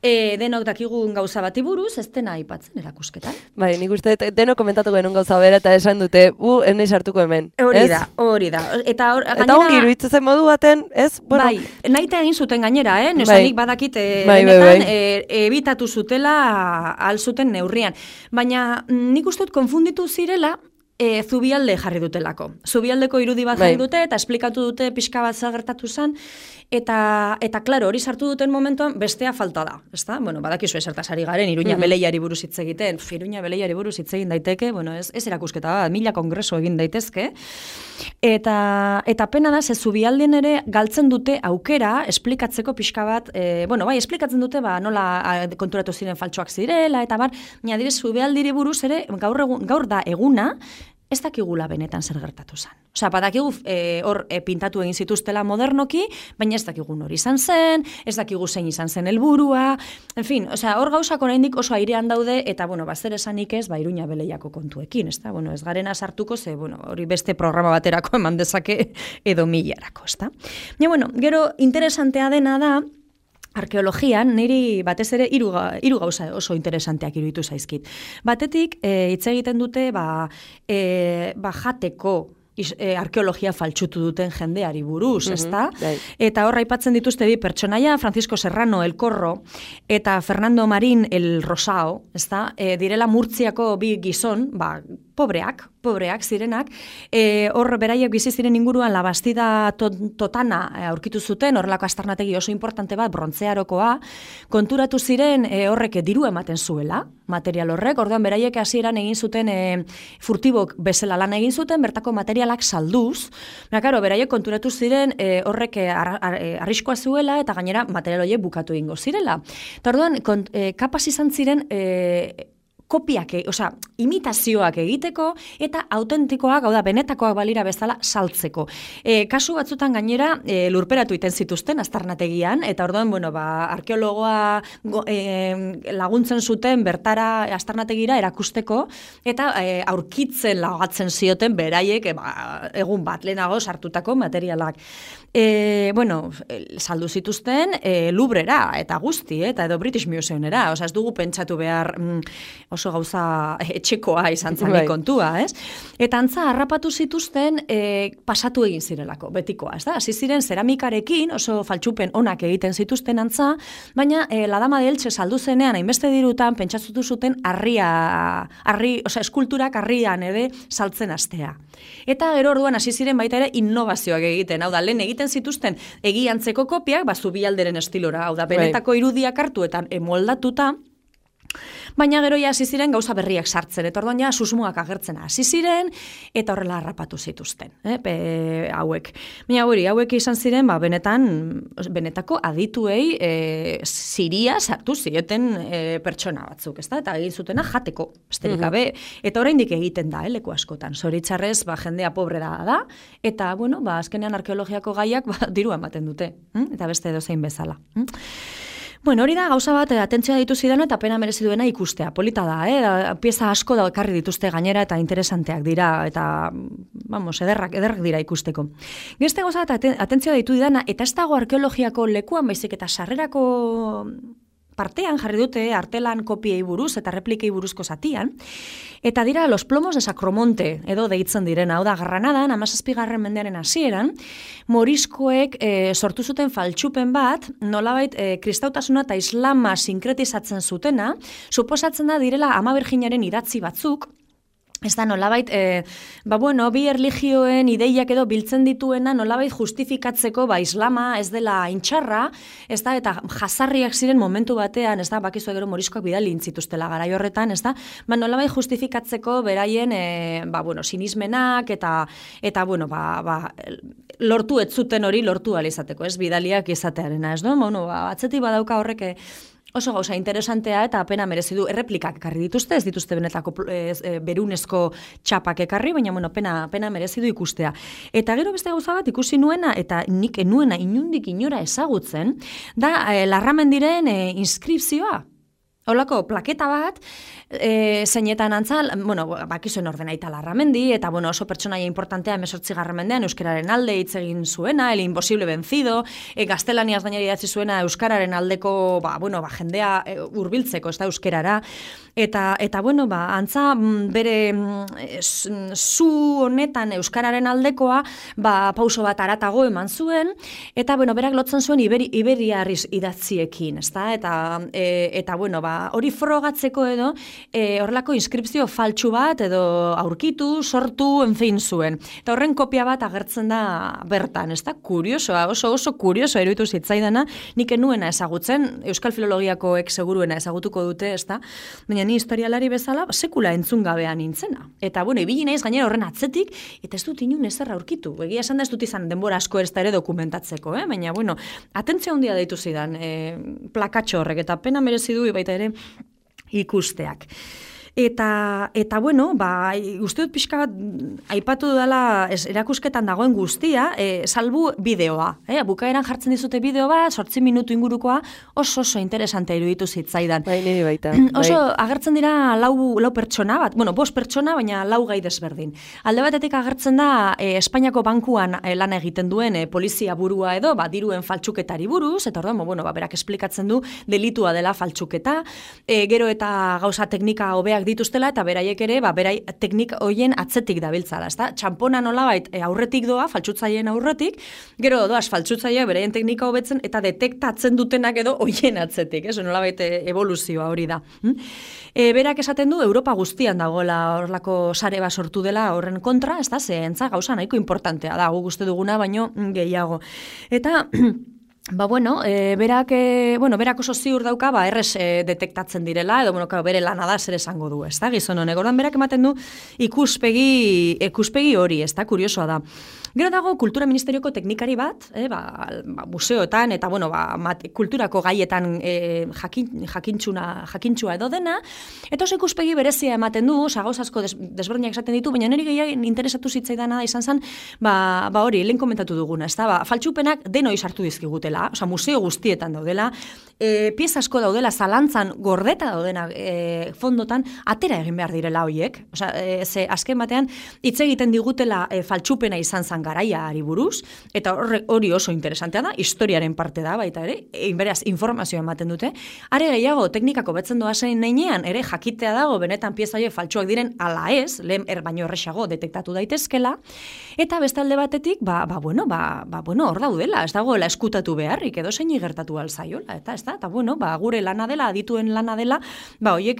denok dakigun gauza bati buruz, ez dena aipatzen erakusketan. Bai, nik uste denok komentatu genuen gauza bera eta esan dute, eneiz hartuko hemen. Hori da. Eta ongi iruditzen modu baten, ez? Bai, naita egin zuten gainera, nesanik badakit benetan ebitatu zutela alzuten neurrian. Baina nik uste dut konfunditu zirela, Zubialde jarri dutelako. Zubialdeko irudi bat jarri dute, eta esplikatu dute pixka bat zer gertatu zen, eta klaro, hori sartu duten momentuan bestea falta da. Ezta? Badakizu esertaz ari garen, Iruña Beleiari buruz hitz egiten. Iruña Beleiari buruz hitz egin daiteke, ez erakusketa bat, 1000 kongreso egin daitezke. Eta pena da, ze Zubialden ere galtzen dute aukera esplikatzeko pixka bat, esplikatzen dute nola konturatu ziren faltsuak zirela, eta baina dire Zubialdiri buruz ere gaur da eguna, ez dakigula benetan zer gertatu zen. Osea, badakigu hor pintatu egin zituztela modernoki, baina ez dakigu hori izan zen, ez dakigu zein izan zen helburua, en fin, hor gauzak oraindik oso airean daude, eta, zer esanik ez, Iruña Beleiako kontuekin, ez da? Ez garena sartuko, ze, hori beste programa baterako eman dezake edo milarako, ez da? Baina, gero interesantea dena da, arkeologian, niri batez ere hiru gauza oso interesanteak iruditu zaizkit. Batetik, hitz egiten dute, jateko arkeologia faltsutu duten jendeari buruz, ezta? Eta horra aipatzen dituzte bi pertsonaia, Francisco Serrano El Corro eta Fernando Marín El Rosao, ezta? Direla Murtziako bi gizon, pobreak zirenak, hor beraiek bizi ziren inguruan La Bastida Totana aurkitu zuten, horrelako astarnategi oso importante bat, brontzearokoa, konturatu ziren horrek diru ematen zuela, material horrek, orduan beraiek hasieran egin zuten furtibok bezala lan egin zuten, bertako materialak salduz, beraiek konturatu ziren horrek arriskoa zuela, eta gainera material horiek bukatu egingo zirela. Eta orduan, kapaz izan ziren kopiak, imitazioak egiteko, eta autentikoak, hau da, benetakoak balira bezala saltzeko. Kasu batzutan gainera, lurperatu iten zituzten aztarnategian, eta orduan, arkeologoa laguntzen zuten bertara aztarnategira erakusteko, eta aurkitzen lagatzen zioten beraiek egun bat lehenago sartutako materialak. Saldu zituzten Louvrera eta guzti, eta edo British Museumera, ez dugu pentsatu behar oso gauza etxekoa izan zen kontua, ez? Eta antza harrapatu zituzten pasatu egin zirelako, betikoa, ez da? Hasi ziren zeramikarekin, oso faltsupen onak egiten zituzten antza, baina la Dama de Elche saldu zenean, hainbeste dirutan, pentsatutu zuten eskulturak harrian ere saltzen astea. Eta gero orduan hasi ziren baita ere innovazioak egiten, hau da, lehen egiten zituzten egiantzeko kopiak, zubialderen estilora, hau da, benetako irudiak hartu eta moldatuta, baina gero ja hasi ziren gauza berriak sartzen, eta orduan ja susmoak agertzen hasi ziren, eta horrela harrapatu zituzten, hauek. Baina hauek izan ziren, benetako adituei ziria sartu zieten pertsona batzuk, ezta? Eta egin zutena jateko, besterik gabe, eta oraindik egiten da, leku askotan. Zoritxarrez, jendea pobrera da, eta, azkenean arkeologiako gaiak dirua ematen dute, eta beste edozein bezala. Hori da, gauza bat, atentzioa ditu zidan eta pena merezi duena ikustea. Polita da, pieza asko da ekarri dituzte gainera eta interesanteak dira, eta, ederrak dira ikusteko. Beste gauza bat, atentzioa ditu didana, eta ez dago arkeologiako lekuan, baizik eta sarrerako partean jarri dute artelan kopiei buruz eta replikei buruzko zatian, eta dira los plomos de Sacromonte, edo deitzen direna, hau da, Granadan, 17. mendearen hasieran, moriscoek sortu zuten faltsupen bat, nolabait kristautasuna eta islama sinkretizatzen zutena, suposatzen da direla Ama Birjinaren idatzi batzuk, ez da, nolabait, bi erligioen ideiak edo biltzen dituena, nolabait justifikatzeko, islama ez dela intxarra, ez da, eta jazarriak ziren momentu batean, ez da, bakizu gero moriskoak bidali intzituztela garai horretan, ez da, nolabait justifikatzeko beraien, sinismenak, eta lortu ez zuten hori lortu alizateko, ez, bidaliak izatearena, ez da, atzetik badauka horrek, oso gauza interesantea eta pena merezi du erreplikak ekarri dituzte, ez dituzte benetako berunezko txapak ekarri, baina pena merezi du ikustea. Eta gero beste gauza bat ikusi nuena, eta nik nuena inundik inora ezagutzen, da Larramendiren inskripzioa. Holako plaketa bat, zeinetan antzal, bakizuen ordenaita Larramendi, eta oso pertsonaia importantea 18. mendean euskararen alde hitz egin zuena, el imposible vencido, gaztelaniaz gainera idatzi zuena euskararen aldeko, jendea hurbiltzeko, ez da euskarara, eta antza bere zu honetan euskararen aldekoa, pauso bat aratago eman zuen, eta berak lotzen zuen iberiarriz idatziekin, ez da, eta hori frogatzeko edo, horrelako inskripzio faltsu bat edo aurkitu, sortu, enfin zuen. Eta horren kopia bat agertzen da bertan, ez da? Kuriosoa, oso kuriosoa iruditu zitzaidana, nik nuena ezagutzen, Euskal Filologiakoek seguruena ezagutuko dute, ez da? Baina ni historialari bezala, sekula entzun gabean nintzena. Eta, ibili naiz gainera horren atzetik, eta ez dut inun ezer aurkitu. Egia esan da ez dut izan denbora asko ez da ere dokumentatzeko, baina, atentzio handia deitu zidan, plakatxo horrek, eta pena merezi du baita ere ikusteak. Eta uste dut pixka bat aipatu dela erakusketan dagoen guztia, salbu bideoa. Bukaeran jartzen dizute bideo bat, 8 minutu ingurukoa, oso interesantea iruditu zitzaidan. Niri baita. Oso agertzen dira lau pertsona bat, 5 pertsona, baina 4 gai desberdin. Alde batetik agertzen da Espainiako bankuan lan egiten duen polizia burua edo, diruen faltsuketari buruz, eta orduan, berak esplikatzen du delitua dela faltsuketa, gero eta gauza teknika hobeak dituztela, eta beraiek ere, berai teknik hoien atzetik dabiltzala, ezta? Txampona nolabait aurretik doa, faltsutzaileen aurretik, gero doaz faltsutzailea beraien teknika hobetzen, eta detektatzen dutenak edo hoien atzetik, nolabait evoluzioa hori da. Berak esaten du, Europa guztian dagoela horlako sare bat sortu dela horren kontra, ezta? Zehentza gauza nahiko importantea da, guk uste duguna, baino gehiago. Eta berak oso ziur dauka, errez detektatzen direla, edo bere lana da zer esango du, ez da, gizon honek. Ordan berak ematen du ikuspegi hori, ez da, kuriosoa da. Gero dago kultura ministerioko teknikari bat, museoetan eta bueno, kulturako gaietan jakintsua edo dena, eta oso ikuspegi berezia ematen du, gauz asko desberdinak esaten ditu, baina niri gehiago interesatu zitzaidana izan zen, hori, lehen komentatu duguna, ez da, faltsupenak denoi sartu dizkigutela, osea, museo guztietan daudela, pieza asko daudela, zalantzan gordeta daudena fondotan, atera egin behar direla hoiek, osea, ze azken batean, hitz egiten digutela faltsupena izan zen garaiari buruz, eta hori oso interesantea da, historiaren parte da, baita ere, beraz, informazioa ematen dute, are gehiago, teknikako betzen doa zein neinean, ere jakitea dago, benetan pieza horiek faltsuak diren ala ez, lehen baino erresago detektatu daitezkela, eta bestalde batetik, hor daudela, ez dagoela eskutatu beharrik, edo zein gertatu alzaiola, eta gure lana dela, adituen lana dela, horiek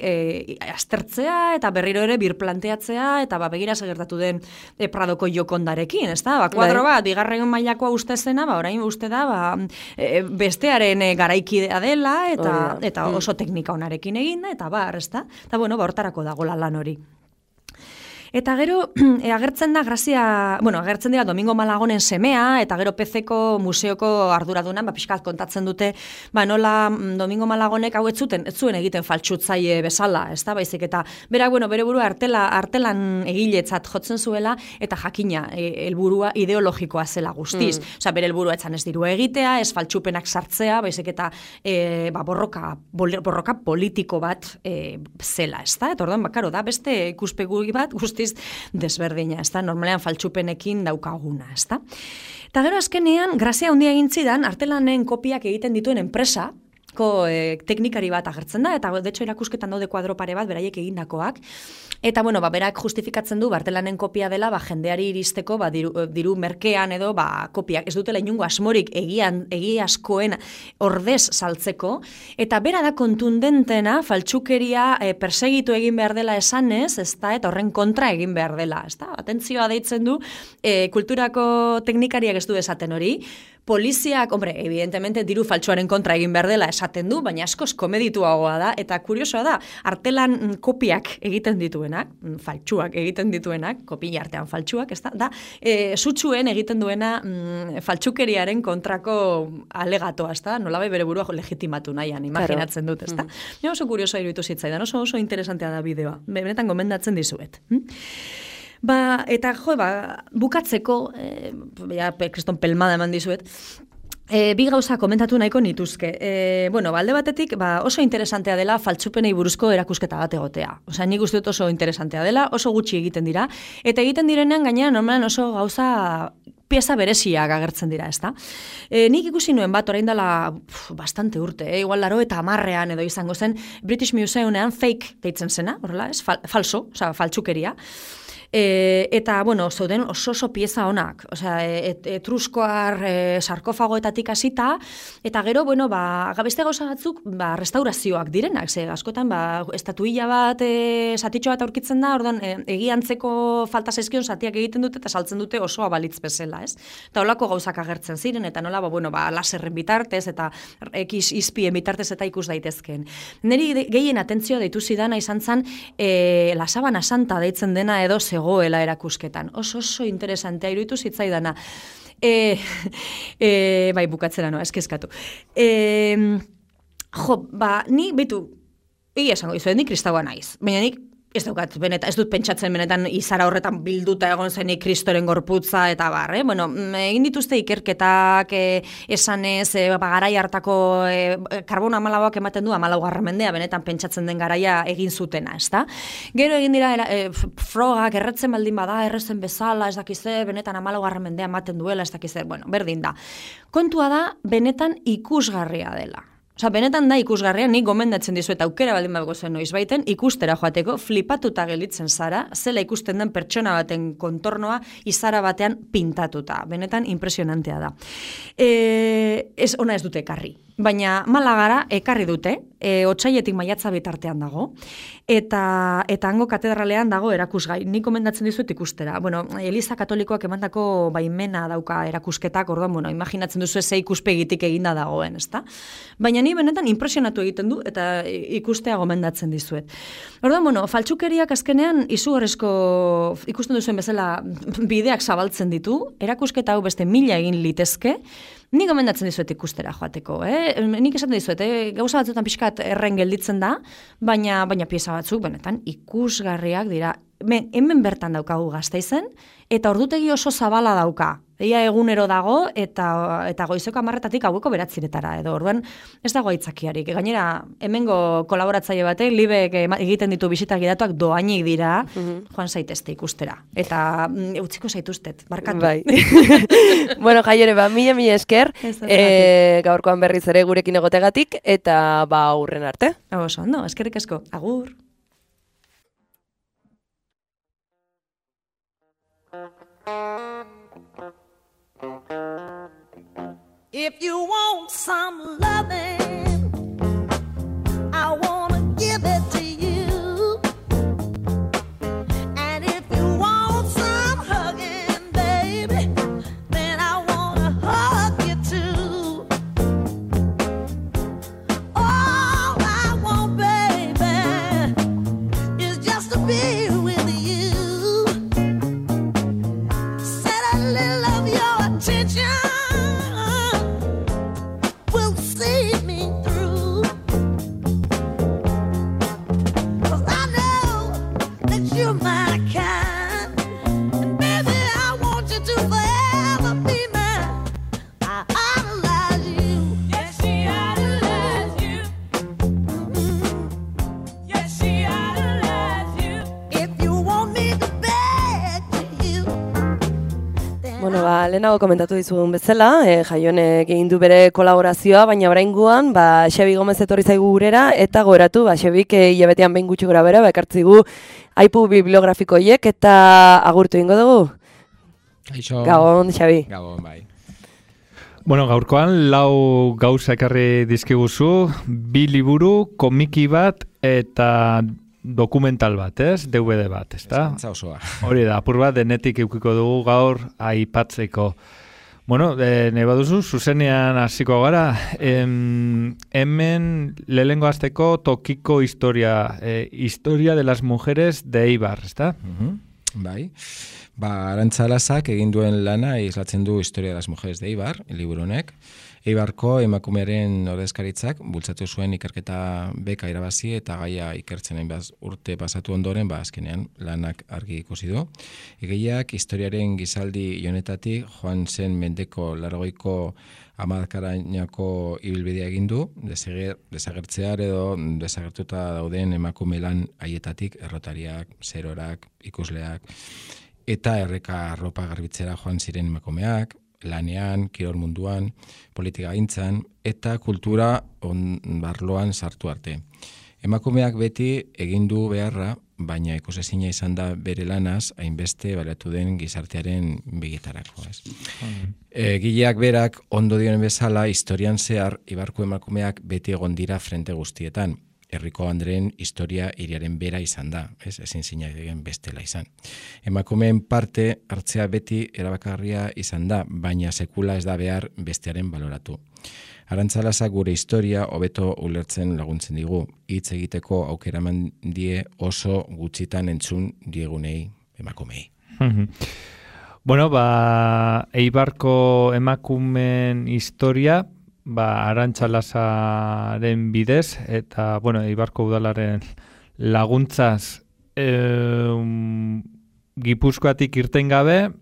aztertzea, eta berriro ere birplanteatzea, eta begira gertatu den Pradoko jokondarekin, ez da? Kuadro bat, bigarren mailakoa uste zena, orain uste da, bestearen garaikidea dela, eta oso teknika onarekin egin, eta ez da? Eta hortarako dagoela lan hori. Eta gero, agertzen dira Domingo Malagonen semea, eta gero PCko museoko arduradunan, pixkat kontatzen dute, nola Domingo Malagonek hau ez zuen egiten faltsutzaile bezala, ez da, baizik, eta berak, bere burua artelan egiletzat jotzen zuela, eta jakina, helburua ideologikoa zela guztiz. Osea, bere helburua etzan ez dirua egitea, ez faltsupenak sartzea, baizik, eta borroka politiko bat zela, ez da? Eta orduan, bakaro, da, beste ikuspegi bat guztiz desberdina, ez da, normalean faltsupenekin daukaguna, ez da. Eta gero azkenean, grazia handia egin zidan, artelanen kopiak egiten dituen enpresako teknikari bat agertzen da, eta de hecho erakusketan daude kuadro pare bat, beraiek egindakoak, eta berak justifikatzen du, artelanen kopia dela, jendeari iristeko, diru merkean edo, kopiak, ez dutela inungo asmorik egiazkoen ordez saltzeko, eta bera da kontundentena, faltsukeria persegitu egin behar dela esanez, ez da, eta horren kontra egin behar dela, ez da, atentzioa deitzen du, kulturako teknikariak ez du esaten hori, poliziak, evidentemente diru faltsuaren kontra egin behar dela esaten du, baina askoz komedituagoa da, eta kuriosoa da, artelan kopiak egiten dituenak, faltsuak egiten dituenak, kopia artean faltsuak, ez da, sutsuen egiten duena faltsukeriaren kontrako alegatoa, ez da, nolabai bere burua legitimatu nahian, imaginatzen dut, ez da. Oso kuriosoa iruditu zitzaidan, oso interesantea da bideoa, benetan gomendatzen dizuet. Eta bukatzeko, kriston pelmada eman dizuet, bi gauza komentatu nahiko nituzke. Alde batetik, oso interesantea dela faltsupenei buruzko erakusketa bat egotea. Osea, nik uste dut oso interesantea dela, oso gutxi egiten dira, eta egiten direnean gainera normalan oso gauza pieza bereziak agertzen dira, ezta? Nik ikusi nuen bat, orain dela bastante urte, igual 90ean edo izango zen, British Museumean fake deitzen zena, horrela, ez? Falso, osea, faltsukeria. Eta, zauden oso pieza honak, osea, etruskoar sarkofagoetatik hasita, eta gero, beste gauza batzuk, restaurazioak direnak, ze askotan, estatuilla bat, satitxo bat aurkitzen da, orduan, egiantzeko falta zaizkion satiak egiten dute, eta saltzen dute oso abalitz bezala, ez? Eta holako gauzak agertzen ziren, eta nola, laserren bitartez, eta izpien bitartez, eta ikus daitezken. Neri gehien atentzio deitu zidana izan zen, La Sabana Santa deitzen dena edo zegoela erakusketan. Oso interesantea iruditu zitzaidana. Bukatzera noa, eskeskatu. Ni, esango dizuet, ni kristaua naiz. Baina nik ez daukat, ez dut pentsatzen benetan izara horretan bilduta egon zenik kristoren gorputza eta egin dituzte ikerketak esanez, garai hartako karbono 14ak ematen du 14. mendea benetan pentsatzen den garaia egin zutena, ezta? Gero egin dira frogak erretzen baldin bada, errezen bezala, ez dakize, benetan 14. mendea ematen duela, ez dakize, berdin da. Kontua da, benetan ikusgarria dela. Osa, benetan da ikusgarria, nik gomendatzen dizuet aukera baldin bago zen noiz baiten, ikustera joateko, flipatuta gelitzen zara, zela ikusten den pertsona baten kontornoa izara batean pintatuta. Benetan impresionantea da. Ona ez dute ekarri. baina Malagara ekarri dute, otsailetik maiatza bitartean dago, eta hango katedralean dago erakusgai. Nik komendatzen dizuet ikustera. Bueno, Eliza Katolikoak emandako baimena dauka erakusketak, orduan, imaginatzen duzu ze ikuspegitik eginda dagoen, ezta? Baina ni benetan impresionatu egiten du, eta ikustea gomendatzen dizuet. Orduan, faltsukeriak azkenean izugarrizko ikusten duzuen bezala bideak zabaltzen ditu, erakusketa hau beste 1000 egin litezke, nik gomendatzen dizuet ikustera joateko, Nik esaten dizuet, gauza batzutan pixkat erren gelditzen da, baina pieza batzuk, benetan, ikusgarriak dira. Hemen bertan daukagu Gasteizen, eta ordutegi oso zabala dauka. Ia egunero dago, eta goizeko 10:00 gaueko 9:00 edo. Orduan, ez dago aitzakiarik. Gainera, hemengo kolaboratzaile batek, Libek egiten ditu bisita gidatuak doainik dira, joan zaitezte ikustera. Eta utziko zaituztet, barkatu. Bai. Bueno, Jaiere, mila esker, gaurkoan berriz ere gurekin egotegatik, eta hurren arte. Oso, ondo, eskerrik asko. Agur. If you want some loving, I wanna give it to you. And if you want some hugging, baby, then I wanna hug you too. All I want, baby, is just to be with you. Set a little of your attention. Lehenago komentatu dizugun bezala, Jaionek egin du bere kolaborazioa, baina oraingoan, Xabi Gomez etorri zaigu gurera, eta goratu, Xabik hilabetean behin gutxi gora bera, ekartzigu aipu bibliografikoiek, eta agurtu ingo dugu? Aixo. Gabon, Xabi. Gabon, bai. Bueno, gaurkoan, 4 gauza ekarri dizkiguzu, 2 liburu, komiki bat, eta dokumental bat, DVD bat, ezta? Eskantza osoa. Hori da, apur bat denetik eukiko dugu gaur aipatzeko. Bueno, nahi baduzu, zuzenean hasiko gara. Hemen lehengo hasteko tokiko historia, historia de las mujeres de Eibar, ezta? Bai. Arantza Lazak egin duen lana islatzen du Historia de las mujeres de Eibar, liburu honek. Eibarko emakumearen ordezkaritzak bultzatu zuen ikerketa beka irabazi eta gaia ikertzen hainbat urte pasatu ondoren, azkenean lanak argi ikusi du. Egileak historiaren gizaldi honetatik joan zen mendeko 80ko hamarkadainako ibilbidea egin du, desagertzear edo desagertuta dauden emakume lan haietatik errotariak, zerorak, ikusleak, eta erreka arropa garbitzera joan ziren emakumeak, lanean, kirol munduan, politika gintzan, eta kultura barloan sartu arte. Emakumeak beti egin du beharra, baina ikusezina izan da bere lanaz, hainbeste baliatu den gizartearen begitarako. Gileak berak, ondo dioen bezala, historian zehar, Eibarko emakumeak beti egon dira frente guztietan. Herriko Andreen historia hiriaren bera izan da, ezin zinaigen bestela izan. Emakumeen parte hartzea beti erabakarria izan da, baina sekula ez da behar bestearen baloratu. Arantza Lazak gure historia hobeto ulertzen laguntzen digu, hitz egiteko aukera eman die oso gutxitan entzun diegunei emakumei. Bueno, Eibarko emakumeen historia, Arantza Lazaren bidez, eta, Eibarko udalaren laguntzaz Gipuzkoatik irten gabe,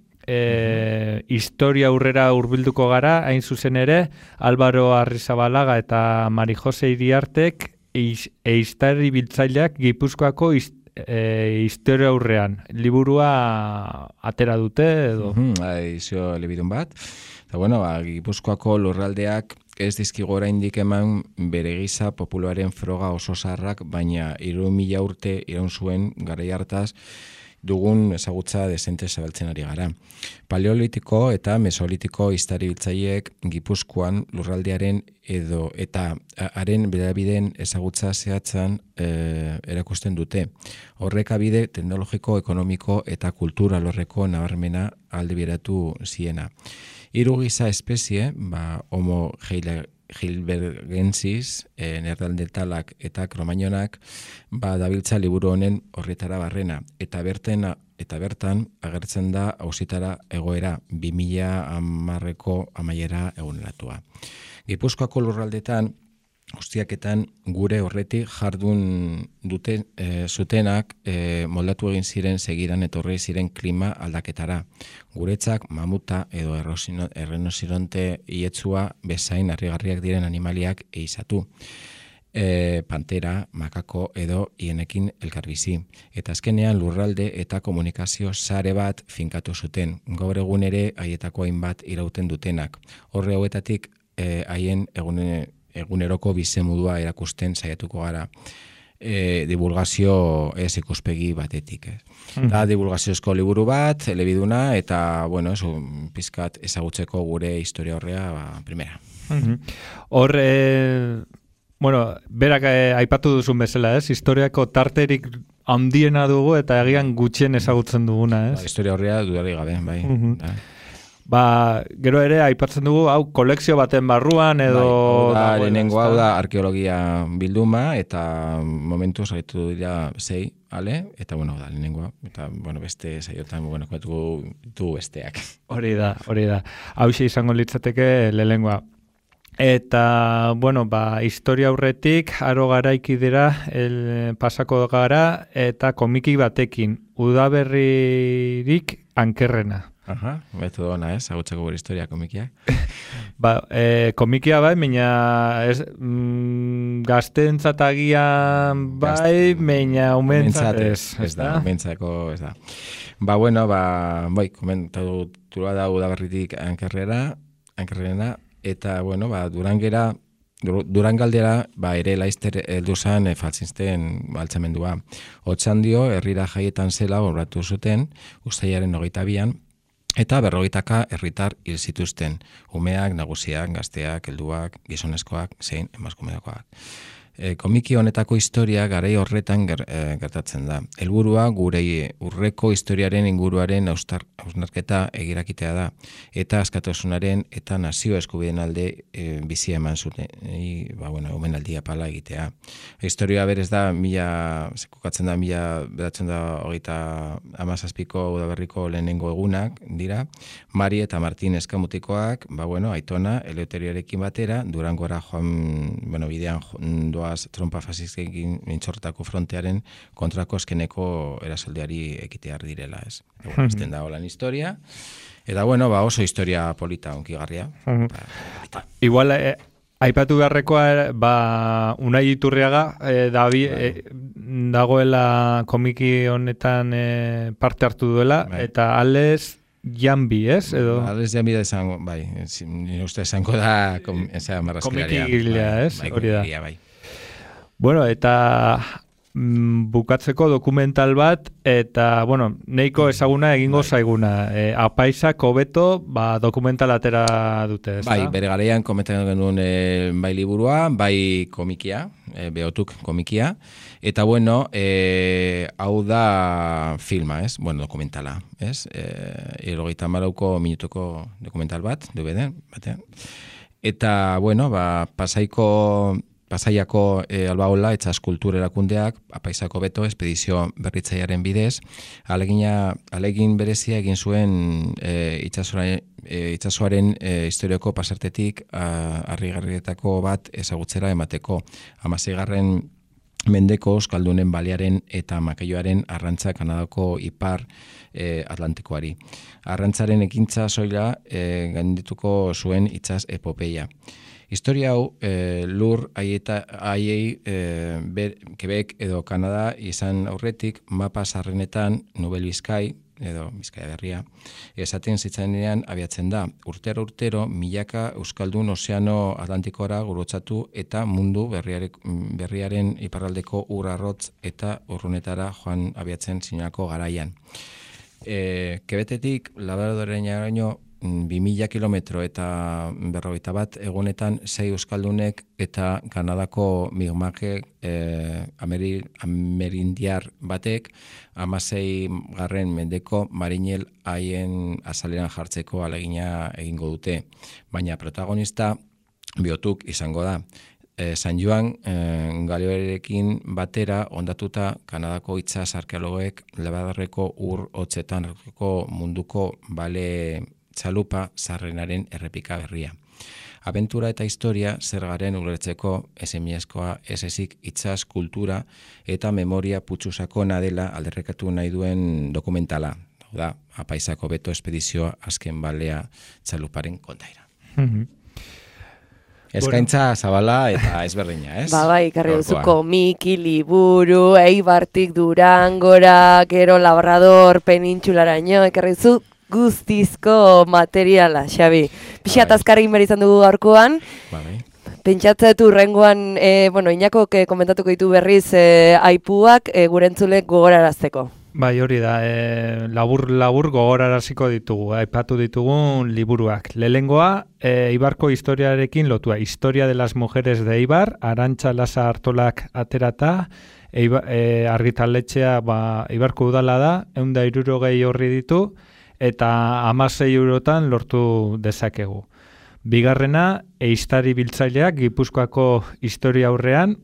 historia aurrera hurbilduko gara, hain zuzen ere, Álvaro Arrizabalaga eta Mari Jose Iriartek eiztari biltzaileak Gipuzkoako historia aurrean. Liburua atera dute edo? Edizio elebidun bat. Eta Gipuzkoako lurraldeak ez dizkigo oraindik eman bere giza populuaren froga oso zarrak, baina 3000 urte iraun zuen garai hartaz dugun ezagutza desente zabaltzen ari gara. Paleolitiko eta mesolitiko historiabiltzaileek Gipuzkoan lurraldearen eta haren bedabideen ezagutza zehatzan erakusten dute. Horrek abide teknologiko, ekonomiko eta kultura alorreko nabarmena aldeberatu ziena. Hiru giza espezie, Homo heidelbergensis, neandertalak eta kromañonak, dabiltza liburu honen horretara barrena, eta bertan agertzen da auzitara egoera 2010ko amaiera eguneratua. Gipuzkoako lurraldetan guztiaketan gure horretik jardun zutenak moldatu egin ziren segidan etorri ziren klima aldaketara. Guretzak mamuta edo errinozeronte ietzua bezain harrigarriak diren animaliak eizatu. Pantera, makako edo hienekin elkarbizi. Eta azkenean lurralde eta komunikazio sare bat finkatu zuten. Gaur egun ere haietako hainbat irauten dutenak. Horre hauetatik haien eguneroko bizemodua erakusten saiatuko gara divulgazio ez ikuspegi batetik. Da divulgaziozko liburu bat, elebiduna, eta, pizkat ezagutzeko gure historia horrea, primera. Hor, berak aipatu duzun bezala, historiako tarterik handiena dugu eta egian gutxien ezagutzen duguna, ez? Historia horrea dudari gabe, bai. Gero ere aipatzen dugu, hau kolekzio baten barruan edo... Lehenengo hau da arkeologia bilduma, eta momentu zaitu dira 6, eta da lehenengoa, eta beste saiotan koetuko du besteak. Hori da. Hauxe izango litzateke lehenengoa. Eta, historia aurretik, aro garaiki dira, pasako gara, eta komiki batekin, udaberririk ankerrena. Betu dona, agutzeko gure historia komikiak. Komikia baina gazteentzatagian baina umentzat ez. Ez da, umentzako ez da. Komentatu da udaberritik ankerrena, eta, Durangaldera, ere laizter heldu zan faltzinzten altxamendua. Otxandio, herrira jaietan zela horratu zuten, uztailaren 22an, eta 40 herritar hil zituzten, umeak, nagusiak, gazteak, helduak, gizonezkoak, zein emakumeakoak. Komiki honetako historia garai horretan gertatzen da. Helburua gure urreko historiaren inguruaren hausnarketa egirakitea da, eta askatasunaren eta nazio eskubideen alde bizia eman zuten, omenaldia pala egitea. Historia berez da, kokatzen da, 1937ko udaberriko lehenengo egunak dira, Mari eta Martin eskamutikoak, Aitona, Eleuterioarekin batera, Durangora bidean trompa fasizkekin mintxortako frontearen kontrako eskeneko erasoldeari ekitear direla, ez. Ezten da holan historia. Eta, oso historia polita, onkigarria. Igual, aipatu beharrekoa, Unai Iturriaga, dagoela komiki honetan parte hartu duela, eta Alex Jambi, ez? Alex Jambi da esango, nire uste esango da marrazkilaria. Komikigilea, ez? Hori da. Bai. Eta bukatzeko dokumental bat, eta, neiko ezaguna egingo zaiguna. Apaisak hobeto, dokumental atera dute, ez da? Bere garaian komentatzen genuen bai liburua, bai komikia, behotuk komikia, eta, hau da filma, ez? Dokumentala, ez? 74 minutuko dokumental bat, DVD, batean. Eta, Pasaiako Albaola eta Eskultur erakundeak Apaisako beto espedizio berritzailearen bidez alegin berezia egin zuen itsasoaren historiako pasartetik harrigarrietako bat ezagutzera emateko 16. mendeko euskaldunen balearen eta makeioaren arrantza Kanadako ipar Atlantikoari. Arrantzaren ekintza soila gaindituko zuen itsas epopeia. Historia hau lur haiei Quebec edo Kanada izan aurretik mapa sarrenetan Nobel Bizkai edo Bizkaia Berria, esaten zitzanean abiatzen da. Urtero milaka euskaldun ozeano Atlantikora gurutzatu eta mundu berriaren iparraldeko urarrotz eta urrunetara joan abiatzen zinako garaian. Kebetetik Labradoreraino 2000 kilometro eta 51 egunetan 6 euskaldunek eta Kanadako Mi'kmaq amerindiar batek 16. mendeko marinel haien azaleran jartzeko alegina egingo dute. Baina protagonista biotuk izango da. San Joan galioarekin batera ondatuta Kanadako itsas arkeologoek Labradorreko ur hotzetan munduko bale txalupa zarrenaren errepika berria. Abentura eta historia zer garen ulertzeko esemieskoa ezik itsas kultura eta memoria putxusakona dela alderrekatu nahi duen dokumentala. Da, apaizako beto espedizioa azken balea txaluparen kontaira. Eskaintza zabala eta ezberdina, ez? Bai, karri duzuko Miki, liburu, Eibartik, Durangora, gero Labrador, penintxularaino, ekarri zu guztizko materiala, Xabi. Pixat azkarri behar izan dugu gaurkoan. Pentsatzeet urrengoan, Inakok komentatuko ditu berriz aipuak gure entzulek gogorarazteko. Bai, hori da, labur gogoraraziko ditugu, aipatu ditugun liburuak. Lehengoa, Eibarko historiarekin lotua, Historia de las Mujeres de Eibar, Arantxa Lasa Artolak aterata, argitaletxea Eibarko udala da, 160 horri ditu, eta 16 eurotan lortu dezakegu. Bigarrena, ehiztari biltzaileak Gipuzkoako historia aurrean,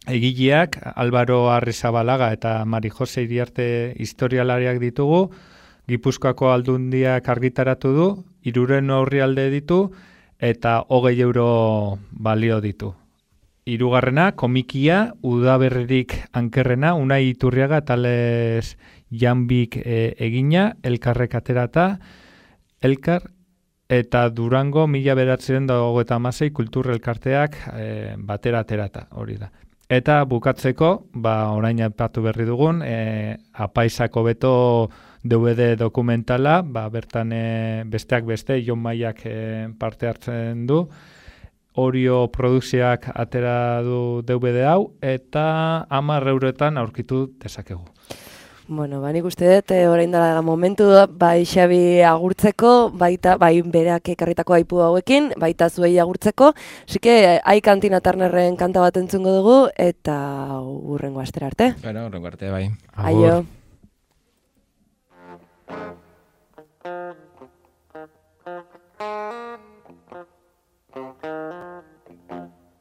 egileak Álvaro Arrizabalaga eta Mari Jose Iriarte historialariak ditugu, Gipuzkoako aldundiak argitaratu du, 300 aurrialde ditu, eta 20 euro balio ditu. Hirugarrena, komikia, udaberririk ankerrena, Unai Iturriaga tales Janbik egina, Elkarrek aterata, Elkar, eta Durango 1926 kultur elkarteak batera aterata, hori da. Eta bukatzeko, orain aipatu berri dugun, apaizako beto DVD dokumentala, bertan besteak beste, Jon Maiak parte hartzen du, Orio produkzioak atera du DVD hau, eta 10 eurotan aurkitu dezakegu. Nik uste dut, orain dela momentu bai Xabi agurtzeko, baita bai berak ekarritako aipu hauekin, baita zuei agurtzeko. Asike, Aikantina Turnerren kanta bat entzungo dugu, eta urrengo astera arte. Urrengo arte, bai. Aio.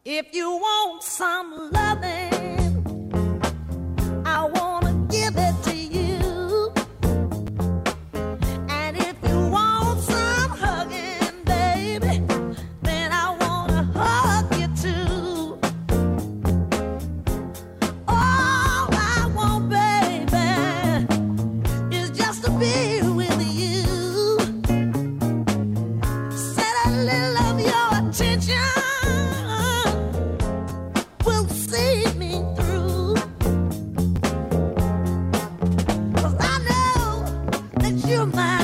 If you want some loving, I wanna give it to you. And if you want some hugging, baby, then I wanna hug you too. All I want, baby, is just to be with you. Set a little of your attention. You're mine.